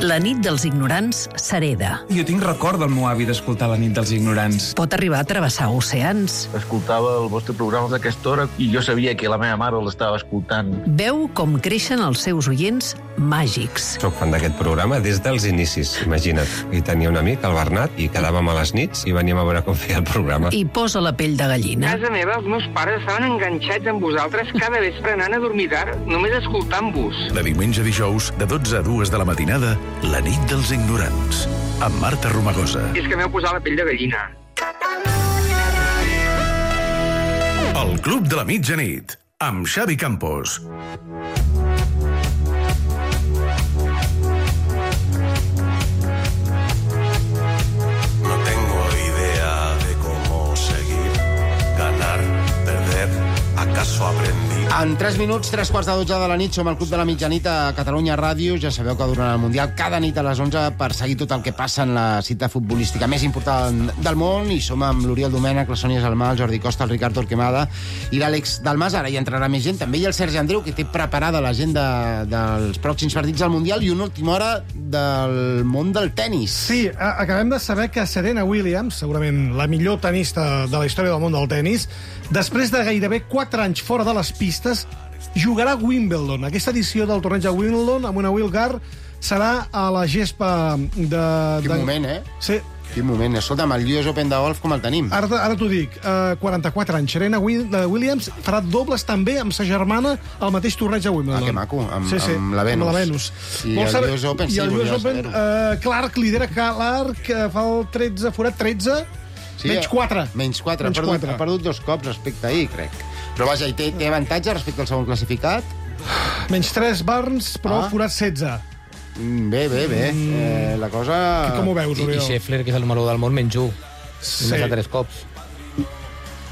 La nit dels ignorants s'hereda. Jo tinc record del meu avi d'escoltar La nit dels ignorants. Pot arribar a travessar oceans. Escoltava el vostre programa d'aquesta hora i jo sabia que la meva mare l'estava escoltant. Veu com creixen els seus oients màgics. Soc fan d'aquest programa des dels inicis, imagina't. I tenia un amic, el Bernat, i quedàvem a les nits i veníem a veure com feia el programa. I posa la pell de gallina. A casa meva, els meus pares estaven enganxats amb vosaltres cada vespre anant a dormir tard, només escoltant-vos. De diumenge a dijous, de dotze a dues de la matinada, La nit dels ignorants, amb Marta Romagosa. I és que m'heu posat la pell de gallina. El Club de la Mitjanit, amb Xavi Campos. No tengo idea de cómo seguir, ganar, perder, acaso aprendí. En tres minuts, tres quarts de dotze de la nit, som al Club de la Mitjanit a Catalunya Ràdio. Ja sabeu que durant el Mundial, cada nit a les onze, per seguir tot el que passa en la cita futbolística més important del món, i som amb l'Oriol Domènech, la Sònia Salmà, el Jordi Costa, el Ricard Torquemada i l'Àlex Dalmas. Ara hi entrarà més gent, també hi ha el Sergi Andreu, que té preparada l'agenda dels pròxims partits del Mundial i una última hora del món del tennis. Sí, acabem de saber que Serena Williams, segurament la millor tenista de la història del món del tennis, després de gairebé quatre anys fora de les pistes, jugarà a Wimbledon. Aquesta edició del torneig a Wimbledon, amb una Wilgar, serà a la gespa de... Quin de... moment, eh? Sí. Quin moment. Escolta'm, el U S Open de golf com el tenim? Ara, ara t'ho dic, uh, quaranta-quatre anys. Serena Williams farà dobles també amb sa germana al mateix torneig a Wimbledon. Ah, que maco, amb, sí, sí, amb la Venus. Amb la Venus. I el saber... U S Open, I sí, el U S Open, uh, Clark lidera Clark, uh, fa el tretze, forat tretze, sí, menys quatre. Menys quatre, menys ha, perdut, ha perdut dos cops respecte a ahir, crec. Però vaja, i té, té avantatge respecte al segon classificat? Menys tres Barnes, però ah. forat setze. Bé, bé, bé. Mm. Eh, la cosa... Que com ho veus, Oriol? I, I Scheffler, que és el número del món, menys u. Sí. Només a tres cops.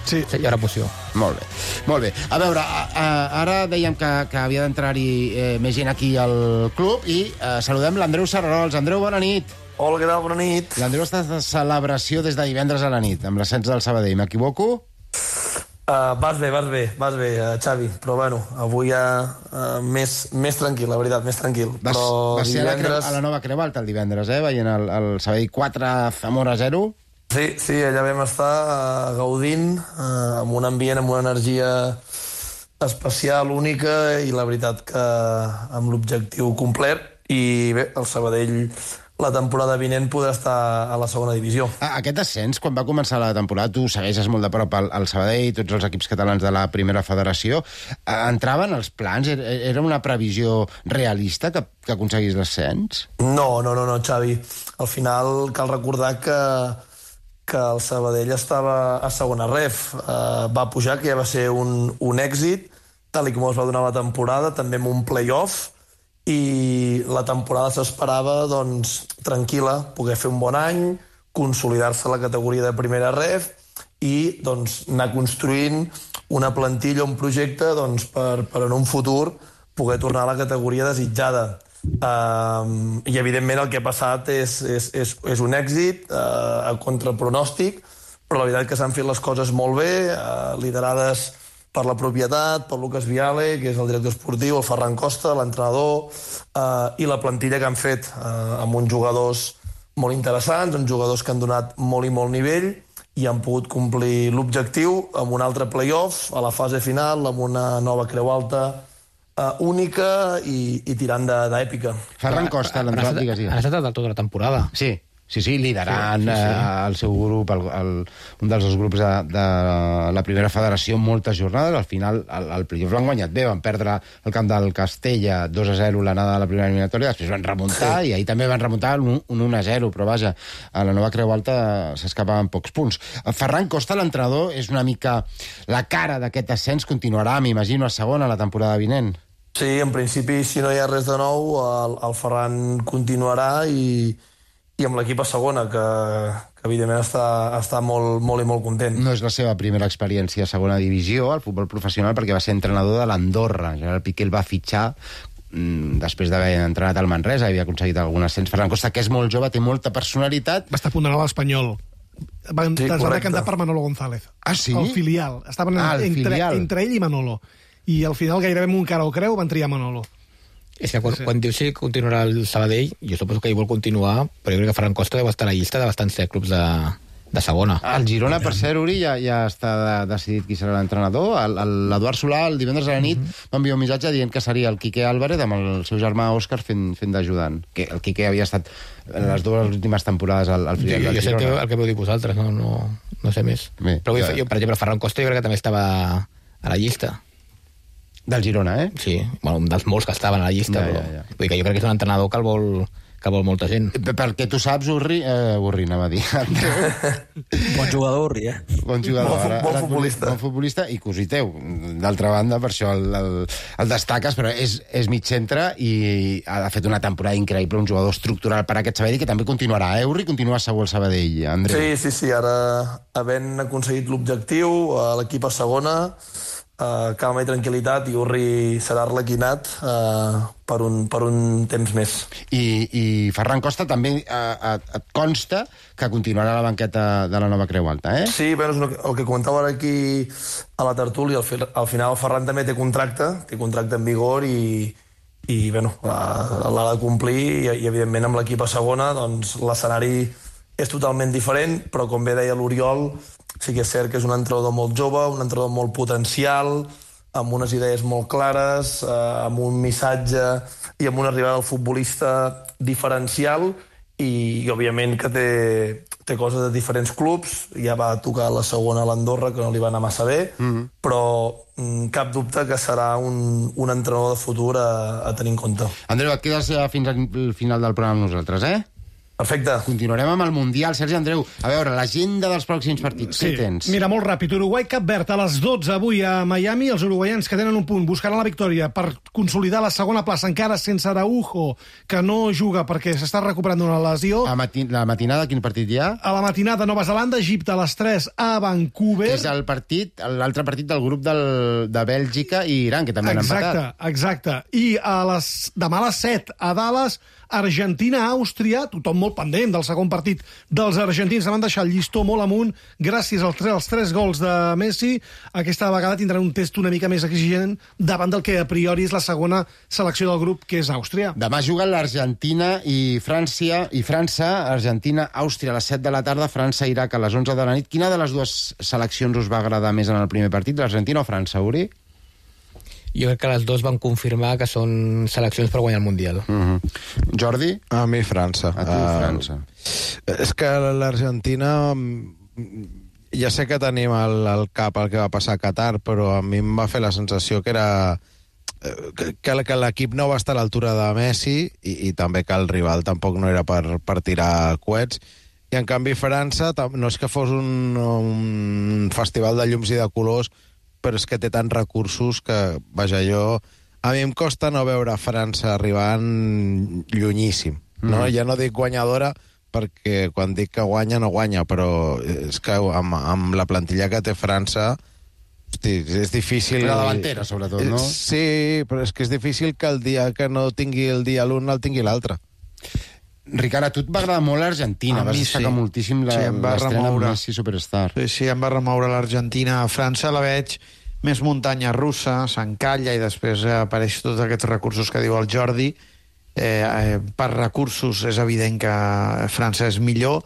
Sí. Hi haurà poció. Molt bé. Molt bé. A veure, a, a, ara dèiem que, que havia d'entrar-hi eh, més gent aquí al club i eh, saludem l'Andreu Serrarols. Andreu, bona nit. Hola, què tal? Bona nit. L'Andreu està de celebració des de divendres a la nit, amb l'ascens del Sabadell. M'equivoco? Uh, vas bé, vas bé, vas bé, uh, Xavi, però bueno, avui ja uh, més, més tranquil, la veritat, més tranquil. Vas, però vas ser divendres... a, la a la nova Creu Alta el divendres, eh? Veient el, el Sabadell quatre, Zamora zero. Sí, sí, allà vam estar uh, gaudint, uh, amb un ambient, amb una energia especial, única, i la veritat que amb l'objectiu complet, i bé, el Sabadell la temporada vinent podrà estar a la segona divisió. Aquest ascens, quan va començar la temporada, tu segueixes molt de prop al, al Sabadell, tots els equips catalans de la primera federació, entraven els plans? Era una previsió realista que, que aconseguís l'ascens? No, no, no, no, Xavi. Al final cal recordar que, que el Sabadell estava a segona ref. Uh, va pujar, que ja va ser un, un èxit, tal i com es va donar la temporada, també amb un play-off, i la temporada s'esperava doncs, tranquil·la, poder fer un bon any, consolidar-se a la categoria de primera ref i doncs, anar construint una plantilla, un projecte doncs, per, per en un futur poder tornar a la categoria desitjada. Uh, I evidentment el que ha passat és, és, és, és un èxit uh, a contrapronòstic, però la veritat que s'han fet les coses molt bé, uh, liderades per la propietat, per Lucas Viale, que és el director esportiu, el Ferran Costa, l'entrenador, eh, i la plantilla que han fet eh, amb uns jugadors molt interessants, uns jugadors que han donat molt i molt nivell i han pogut complir l'objectiu amb un altre play-off a la fase final, amb una nova creu alta uh, única i, i tirant d'èpica. Ferran Costa, l'entrenador, digues, digues. Ha estat del tot de la temporada. Sí. Sí, sí, liderant sí, sí, sí. Eh, el seu grup, el, el, un dels dos grups de, de la primera federació, moltes jornades. Al final, el, el playoff l'han guanyat bé, van perdre el camp del Castella dos a zero l'anada de la primera eliminatòria, després van remuntar, sí. I ahir també van remuntar un, un un a zero, però vaja, a la nova Creu Alta s'escapaven pocs punts. Ferran Costa, l'entrenador, és una mica la cara d'aquest ascens, continuarà, m'imagino, a segona la temporada vinent. Sí, en principi, si no hi ha res de nou, el, el Ferran continuarà i i amb l'equip a segona, que, que evidentment està, està molt, molt i molt content. No és la seva primera experiència a segona divisió, al futbol professional, perquè va ser entrenador de l'Andorra. Gerard Piqué el va fitxar mmm, després d'haver entrenat al Manresa, havia aconseguit algun ascens. Ferran Costa, que és molt jove, té molta personalitat. Va estar a punt d'anar a l'Espanyol. Van, sí, es van decantar per Manolo González. Ah, sí? El filial. Estaven ah, el entre, filial. entre ell i Manolo. I al final gairebé amb un cara o creu van triar Manolo. És que quan, sí. quan dius que continuarà el Sabadell, jo suposo que ell vol continuar, però jo crec que Ferran Costa deu estar a la llista de bastants clubs de, de segona. El Girona, per cert, Uri, ja, ja està de, decidit qui serà l'entrenador. L'Eduard Solà, el divendres a la nit, mm-hmm. va enviar un missatge dient que seria el Quique Álvarez amb el seu germà Òscar fent, fent d'ajudant. Que el Quique havia estat en les dues últimes temporades al, al filial del Girona. Jo sé el que, el que veu dir vosaltres, no, no, no sé més. Bé, però jo, jo, per exemple, Ferran Costa jo crec que també estava a la llista. Del Girona, eh? Sí, bueno, un dels molts que estaven a la llista, ja, però ja, ja. Vull dir que jo crec que és un entrenador que el vol, que vol molta gent. Perquè tu saps, Urri, eh, Urri, anava a dir. Bon jugador, Urri, eh? Bon jugador. Bon, bon, bon futbolista. Bon futbolista i cosí teu. D'altra banda, per això el, el, el destaques, però és, és mig centre i ha fet una temporada increïble, un jugador estructural per a aquest Sabadell, que també continuarà, eh, Urri? Continua segur el Sabadell, Andreu. Sí, sí, sí, ara havent aconseguit l'objectiu, l'equip a segona, Uh, calma i tranquil·litat, i Urri serà arlequinat uh, per, un, per un temps més. I, i Ferran Costa també uh, et consta que continuarà a la banqueta de la nova Creu Alta, eh? Sí, bueno, el que comentava ara aquí a la tertúlia, al, al final el Ferran també té contracte, té contracte en vigor i, i bueno, l'ha de complir i, i evidentment amb l'equip a segona doncs, l'escenari és totalment diferent, però com bé deia l'Oriol, sí que és cert que és un entrenador molt jove, un entrenador molt potencial, amb unes idees molt clares, eh, amb un missatge i amb una arribada al futbolista diferencial i, i òbviament que té, té coses de diferents clubs. Ja va tocar la segona a l'Andorra, que no li va anar massa bé, mm-hmm. però mm, cap dubte que serà un, un entrenador de futur a, a tenir en compte. Andreu, et quedes fins al final del programa amb nosaltres, eh? Perfecte. Continuarem amb el Mundial. Sergi Andreu, a veure, l'agenda dels pròxims partits. Sí. Què tens? Mira, molt ràpid. Uruguai-Cap Verd a les dotze avui a Miami. Els uruguaians que tenen un punt buscaran la victòria per consolidar la segona plaça, encara sense Araujo, que no juga perquè s'està recuperant d'una lesió. A mati la matinada, quin partit hi ha? A la matinada, Nova Zelanda, Egipte a les tres a Vancouver. Que és el partit, l'altre partit del grup del, de Bèlgica i Iran, que també han empatat. Exacte, exacte. I a les, demà a les set a Dallas, Argentina-Àustria, tothom molt pendent del segon partit dels argentins, van deixar el llistó molt amunt gràcies als tres, als tres gols de Messi. Aquesta vegada tindran un test una mica més exigent davant del que a priori és la segona selecció del grup, que és Àustria. Demà juguen l'Argentina i França, i França, Argentina-Àustria a les set de la tarda, França-Iraq a les onze de la nit. Quina de les dues seleccions us va agradar més en el primer partit, l'Argentina o França, Uri? Jo crec que les dues van confirmar que són seleccions per guanyar el Mundial. Uh-huh. Jordi? A mi França. A tu França. Uh, és que l'Argentina... Ja sé que tenim al, al cap el que va passar a Qatar, però a mi em va fer la sensació que era... que, que l'equip no va estar a l'altura de Messi i, i també que el rival tampoc no era per, per tirar coets. I en canvi França no és que fos un, un festival de llums i de colors, però és que té tants recursos que, vaja, jo... A mi em costa no veure França arribant llunyíssim, no? Mm. Ja no dic guanyadora, perquè quan dic que guanya, no guanya, però és que amb, amb la plantilla que té França, hosti, és difícil... La davantera, sobretot, no? Sí, però és que és difícil que el dia que no tingui el dia l'un, el tingui l'altre. Ricard, a tu et va agradar molt l'Argentina, vas destacar sí. moltíssim la, sí, l'estrena amb Messi Superstar. Sí, sí, em va remoure l'Argentina. A França la veig més muntanya russa, s'encalla i després apareix tots aquests recursos que diu el Jordi. Eh, eh, per recursos és evident que França és millor.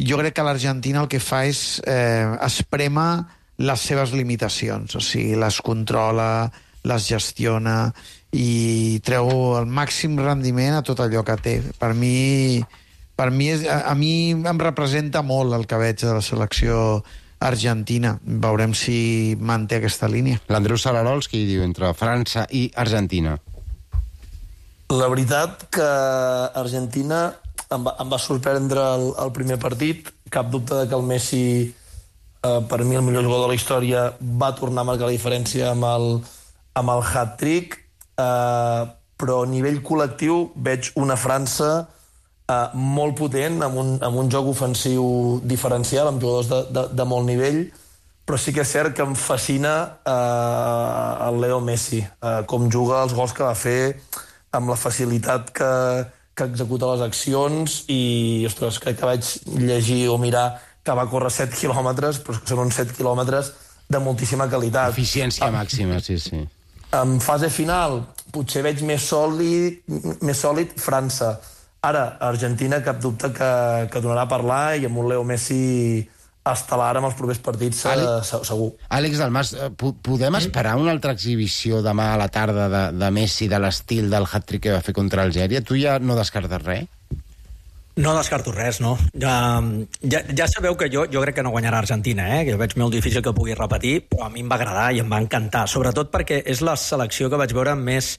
Jo crec que l'Argentina el que fa és eh, esprema les seves limitacions, o sigui, les controla, les gestiona i treu el màxim rendiment a tot allò que té. Per mi, per mi és, a, a mi em representa molt el que veig de la selecció argentina. Veurem si manté aquesta línia. L'Andreu Salarols, qui diu entre França i Argentina? La veritat que Argentina em va, em va sorprendre el, el primer partit. Cap dubte de que el Messi, eh, per mi el millor jugador de la història, va tornar a marcar la diferència amb el, amb el hat-trick, eh, però a nivell col·lectiu veig una França eh, molt potent, amb un, amb un joc ofensiu diferencial, amb jugadors de, de, de molt nivell, però sí que és cert que em fascina eh, el Leo Messi, eh, com juga, els gols que va fer, amb la facilitat que, que executa les accions i, ostres, crec que vaig llegir o mirar que va córrer set quilòmetres, però que són uns set quilòmetres de moltíssima qualitat. Eficiència ah, màxima, sí, sí. En fase final, potser veig més sòlid, més sòlid França. Ara, Argentina, cap dubte que, que donarà a parlar i amb un Leo Messi estel·lar amb els propers partits, Àlex, segur. Àlex Dalmas, podem esperar una altra exhibició demà a la tarda de, de Messi de l'estil del hat-trick que va fer contra Algèria? Tu ja no descartes res? No descarto res, no. Ja, ja, ja sabeu que jo, jo crec que no guanyarà Argentina, eh? Que jo veig molt difícil que pugui repetir, però a mi em va agradar i em va encantar, sobretot perquè és la selecció que vaig veure més,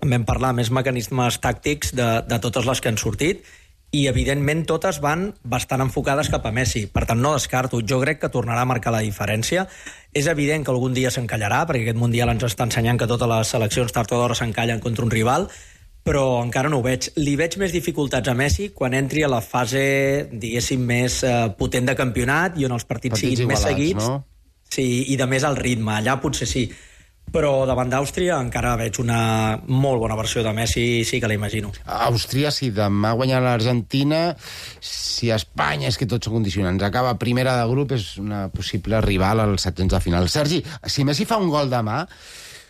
en vam parlar, més mecanismes tàctics de, de totes les que han sortit, i evidentment totes van bastant enfocades cap a Messi, per tant no descarto, jo crec que tornarà a marcar la diferència. És evident que algun dia s'encallarà, perquè aquest Mundial ens està ensenyant que totes les seleccions tard o d'hora s'encallen contra un rival, però encara no ho veig. Li veig més dificultats a Messi quan entri a la fase, diguéssim, més eh, potent de campionat i on els partits, partits siguin igualats, més seguits, no? Sí, i de més al ritme, allà potser sí. Però davant d'Àustria encara veig una molt bona versió de Messi, sí que l'imagino. Àustria, si demà guanya l'Argentina, si Espanya, és que tots són condicionants, acaba primera de grup, és una possible rival als setzents de final. Sergi, si Messi fa un gol demà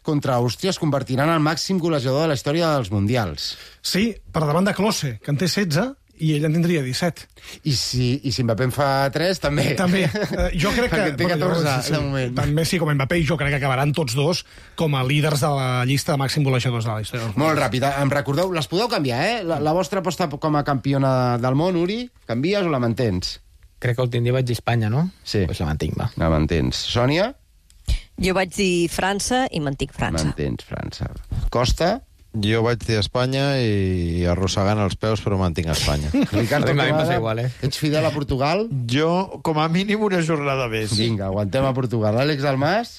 contra Àustria, es convertirà en el màxim golejador de la història dels Mundials. Sí, per davant de Klose, que en té setze, i ell en tindria disset. I si, i si Mbappé en fa tres, també. També. Uh, jo crec que... Perquè té catorze, sí, de moment. Tant Messi com Mbappé, jo crec que acabaran tots dos com a líders de la llista de màxim golejadors de la història. Molt ràpid, em recordeu, les podeu canviar, eh? La, la vostra aposta com a campiona del món, Uri, canvies o la mantens? Crec que últim dia vaig dir Espanya, no? Sí. Pues la mantinc, va. La mantens. Sònia? Jo vaig dir França i mantinc França. Mantens França. Costa? Jo vaig dir Espanya i arrossegant els peus, però mantinc Espanya. Ricardo, igual, eh? Ets fidel a Portugal? Jo, com a mínim, una jornada més. Vinga, aguantem a Portugal. Àlex Dalmas?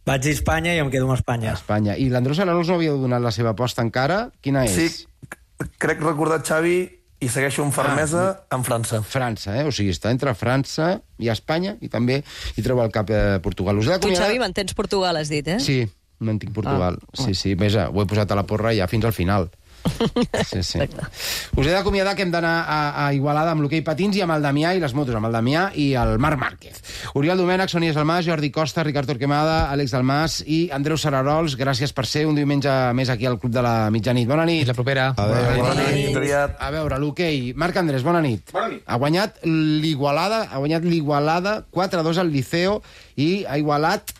Vaig dir Espanya i em quedo amb Espanya. Espanya. I l'Andreu Salarols no havia donat la seva aposta encara? Quina és? Sí, crec recordar Xavi i segueixo amb fermesa ah, amb França. França, eh? O sigui, està entre França i Espanya i també hi troba el cap eh, Portugal. Us he tu, Xavi, mantens Portugal, has dit, eh? Sí, mantinc Portugal. Ah. Sí, sí, més, ho he posat a la porra ja fins al final. Sí, sí. Us he d'acomiadar que hem d'anar a, a Igualada amb l'hoquei patins i amb el Damià i les motos, amb el Damià i el Marc Márquez. Oriol Domènech, Sònia Salmàs, Jordi Costa, Ricard Torquemada, Àlex Dalmas i Andreu Salarols. Gràcies per ser un diumenge més aquí al Club de la Mitjanit. Bona nit. Fins la propera. Adéu. Bona nit. A veure, l'hoquei. Marc Andrés, bona nit. Bona nit. Ha guanyat l'Igualada, ha guanyat l'Igualada quatre a dos al Liceo i ha igualat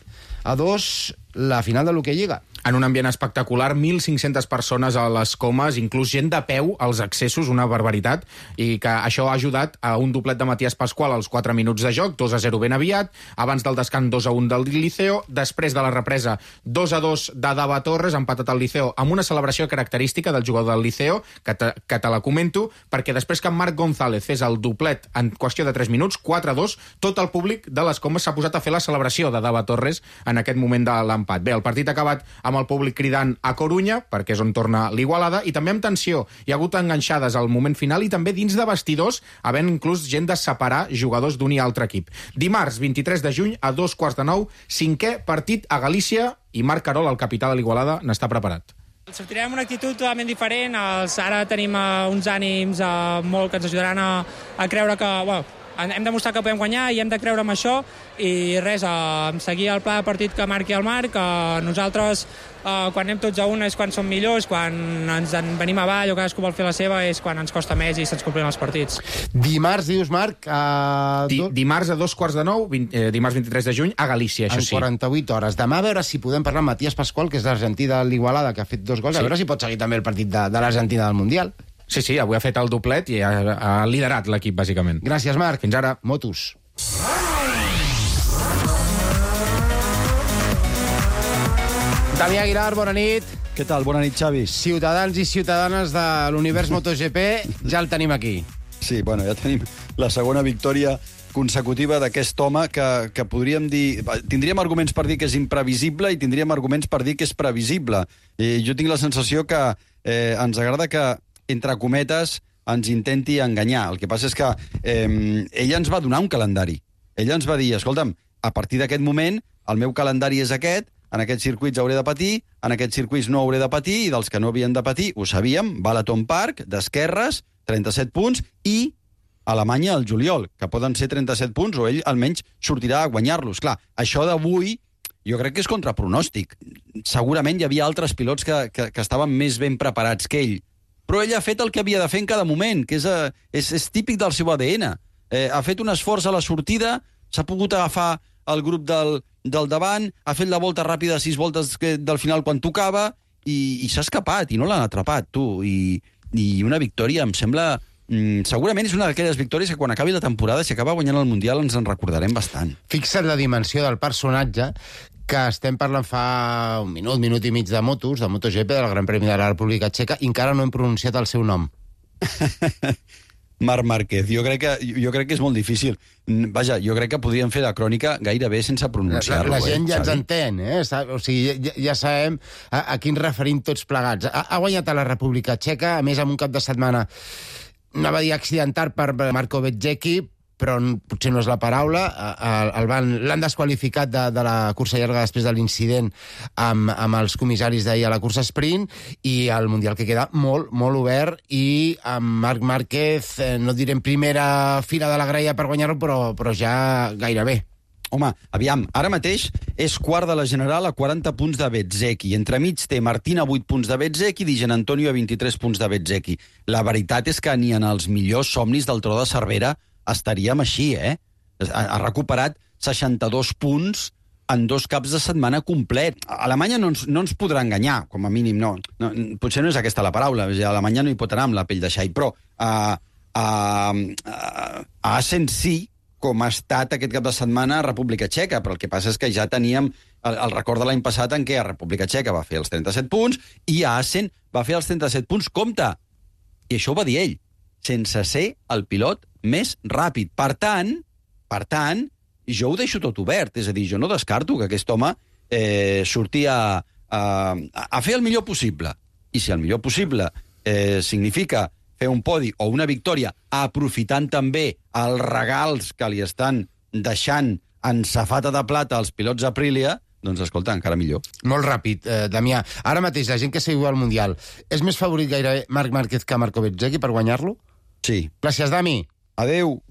a dos la final de l'hoquei Lliga. En un ambient espectacular, mil cinc-centes persones a les comes, inclús gent de peu als accessos, una barbaritat, i que això ha ajudat a un doblet de Matías Pascual als quatre minuts de joc, dos a zero ben aviat, abans del descans dos a un del Liceo, després de la represa dos a dos de Dava Torres, empatat al Liceo, amb una celebració característica del jugador del Liceo, que te, que te la comento, perquè després que en Marc González fes el doblet en qüestió de tres minuts, quatre a dos, tot el públic de les comes s'ha posat a fer la celebració de Dava Torres en aquest moment de l'empat. Bé, el partit ha acabat amb el públic cridant a Corunya, perquè és on torna l'Igualada, i també amb tensió. Hi ha hagut enganxades al moment final i també dins de vestidors, havent inclús gent de separar jugadors d'un i altre equip. Dimarts, vint-i-tres de juny, a dos quarts de nou, cinquè partit a Galícia, i Marc Carol, el capità de l'Igualada, n'està preparat. Sortirem amb una actitud totalment diferent. Els, ara tenim uh, uns ànims uh, molt que ens ajudaran a, a creure que, bueno, hem demostrat que podem guanyar i hem de creure en això, i res, eh, seguir el pla de partit que marqui el Marc. Eh, nosaltres, eh, quan anem tots a una és quan som millors, quan ens en venim avall o cadascú vol fer la seva és quan ens costa més i se'ns complim els partits. Dimarts, dius, Marc? A... Di dimarts a dos quarts de nou, vint, eh, dimarts vint-i-tres de juny, a Galícia, això sí. En quaranta-vuit hores. Demà a veure si podem parlar amb Matías Pascual, que és l'argentí de l'Igualada, que ha fet dos gols, sí. A veure si pot seguir també el partit de, de l'Argentina del Mundial. Sí, sí, avui ha fet el doblet i ha, ha liderat l'equip, bàsicament. Gràcies, Marc. Fins ara. Motos. Damià Aguilar, bona nit. Què tal? Bona nit, Xavi. Ciutadans i ciutadanes de l'univers MotoGP, ja el tenim aquí. Sí, bueno, ja tenim la segona victòria consecutiva d'aquest home que, que podríem dir... Tindríem arguments per dir que és imprevisible i tindríem arguments per dir que és previsible. I jo tinc la sensació que eh, ens agrada que, entre cometes, ens intenti enganyar. El que passa és que eh, ella ens va donar un calendari. Ella ens va dir, escolta'm, a partir d'aquest moment el meu calendari és aquest, en aquests circuits hauré de patir, en aquests circuits no hauré de patir, i dels que no havien de patir, ho sabíem, Balaton Park, d'esquerres, trenta-set punts, i Alemanya al juliol, que poden ser trenta-set punts, o ell almenys sortirà a guanyar-los. Clar, això d'avui jo crec que és contrapronòstic. Segurament hi havia altres pilots que, que, que estaven més ben preparats que ell, però ell ha fet el que havia de fer en cada moment, que és, és, és típic del seu A D N. Eh, ha fet un esforç a la sortida, s'ha pogut agafar el grup del, del davant, ha fet la volta ràpida, sis voltes que, del final quan tocava, i, i s'ha escapat, i no l'han atrapat, tu. I, I una victòria, em sembla... Mm, segurament és una d'aquelles victòries que quan acabi la temporada, si acaba guanyant el Mundial, ens en recordarem bastant. Fixa't la dimensió del personatge, que estem parlant fa un minut, minut i mig de motos, de MotoGP, del Gran Premi de la República Txeca, i encara no hem pronunciat el seu nom. Marc Márquez. Jo crec, que, jo crec que és molt difícil. Vaja, jo crec que podríem fer la crònica gairebé sense pronunciar-lo. La, la gent eh, ja ens entén, eh? O sigui, ja, ja sabem a, a quin referim tots plegats. Ha, ha guanyat a la República Txeca, a més, amb un cap de setmana, no va dir accidental per Marco Bezzecchi, però potser no és la paraula. L'han desqualificat de, de la cursa llarga després de l'incident amb, amb els comissaris d'ahir a la cursa sprint, i el Mundial que queda molt, molt obert, i amb Marc Márquez, eh, no diré en primera fila de la graella per guanyar-lo, però, però ja gairebé. Home, aviam, ara mateix és quart de la general a quaranta punts de Bezzecchi. Entremig té Martín a vuit punts de Bezzecchi i Di Giannantonio a vint-i-tres punts de Bezzecchi. La veritat és que ni en els millors somnis del Tro de Cervera estaríem així, eh? Ha recuperat seixanta-dos punts en dos caps de setmana complet. Alemanya no ens, no ens podrà enganyar, com a mínim, no. no. Potser no és aquesta la paraula, Alemanya no hi pot anar amb la pell de xai, però a, a, a Assen sí, com ha estat aquest cap de setmana a República Txeca, però el que passa és que ja teníem el, el record de l'any passat en què a República Txeca va fer els trenta-set punts i a Assen va fer els trenta-set punts. Compte! I això ho va dir ell, sense ser el pilot més ràpid. Per tant, per tant, jo ho deixo tot obert. És a dir, jo no descarto que aquest home eh, surti a, a, a fer el millor possible. I si el millor possible eh, significa fer un podi o una victòria, aprofitant també els regals que li estan deixant en safata de plata als pilots Aprilia, doncs, escolta, encara millor. Molt ràpid, eh, Damià. Ara mateix, la gent que seguiu al Mundial, és més favorit gairebé Marc Márquez que Marco Bezzecchi per guanyar-lo? Sí. Gràcies, Dami. Adéu.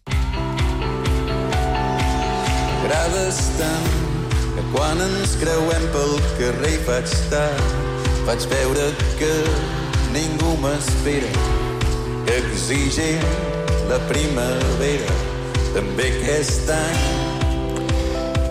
M'agrades tant que quan ens creuem pel carrer hi faig tard, faig veure que ningú m'espera, que exigim la primavera també aquest any.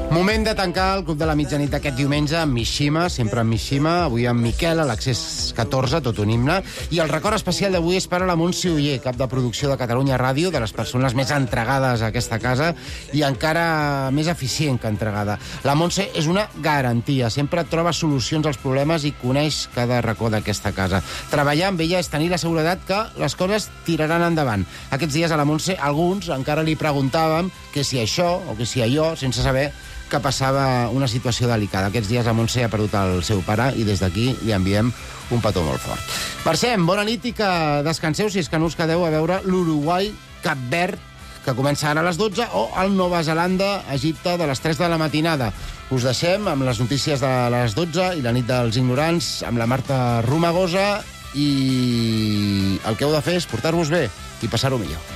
Moment de tancar el Club de la Mitjanit d'aquest diumenge amb Mishima, sempre amb Mishima, avui amb Miquel, a l'Accés catorze, tot un himne, i el record especial d'avui és per a la Montse Oller, cap de producció de Catalunya Ràdio, de les persones més entregades a aquesta casa i encara més eficient que entregada. La Montse és una garantia, sempre troba solucions als problemes i coneix cada racó d'aquesta casa. Treballar amb ella és tenir la seguretat que les coses tiraran endavant. Aquests dies a la Montse, alguns encara li preguntàvem que si això o que si allò, sense saber que passava una situació delicada. Aquests dies la Montse ha perdut el seu pare i des d'aquí li enviem un petó molt fort. Marcem, bona nit i que descanseu si és que no us quedeu a veure l'Uruguai-Cap Verd, que comença ara a les dotze, o el Nova Zelanda-Egipte de les tres de la matinada. Us deixem amb les notícies de les dotze i la nit dels ignorants amb la Marta Romagosa, i el que heu de fer és portar-vos bé i passar-ho millor.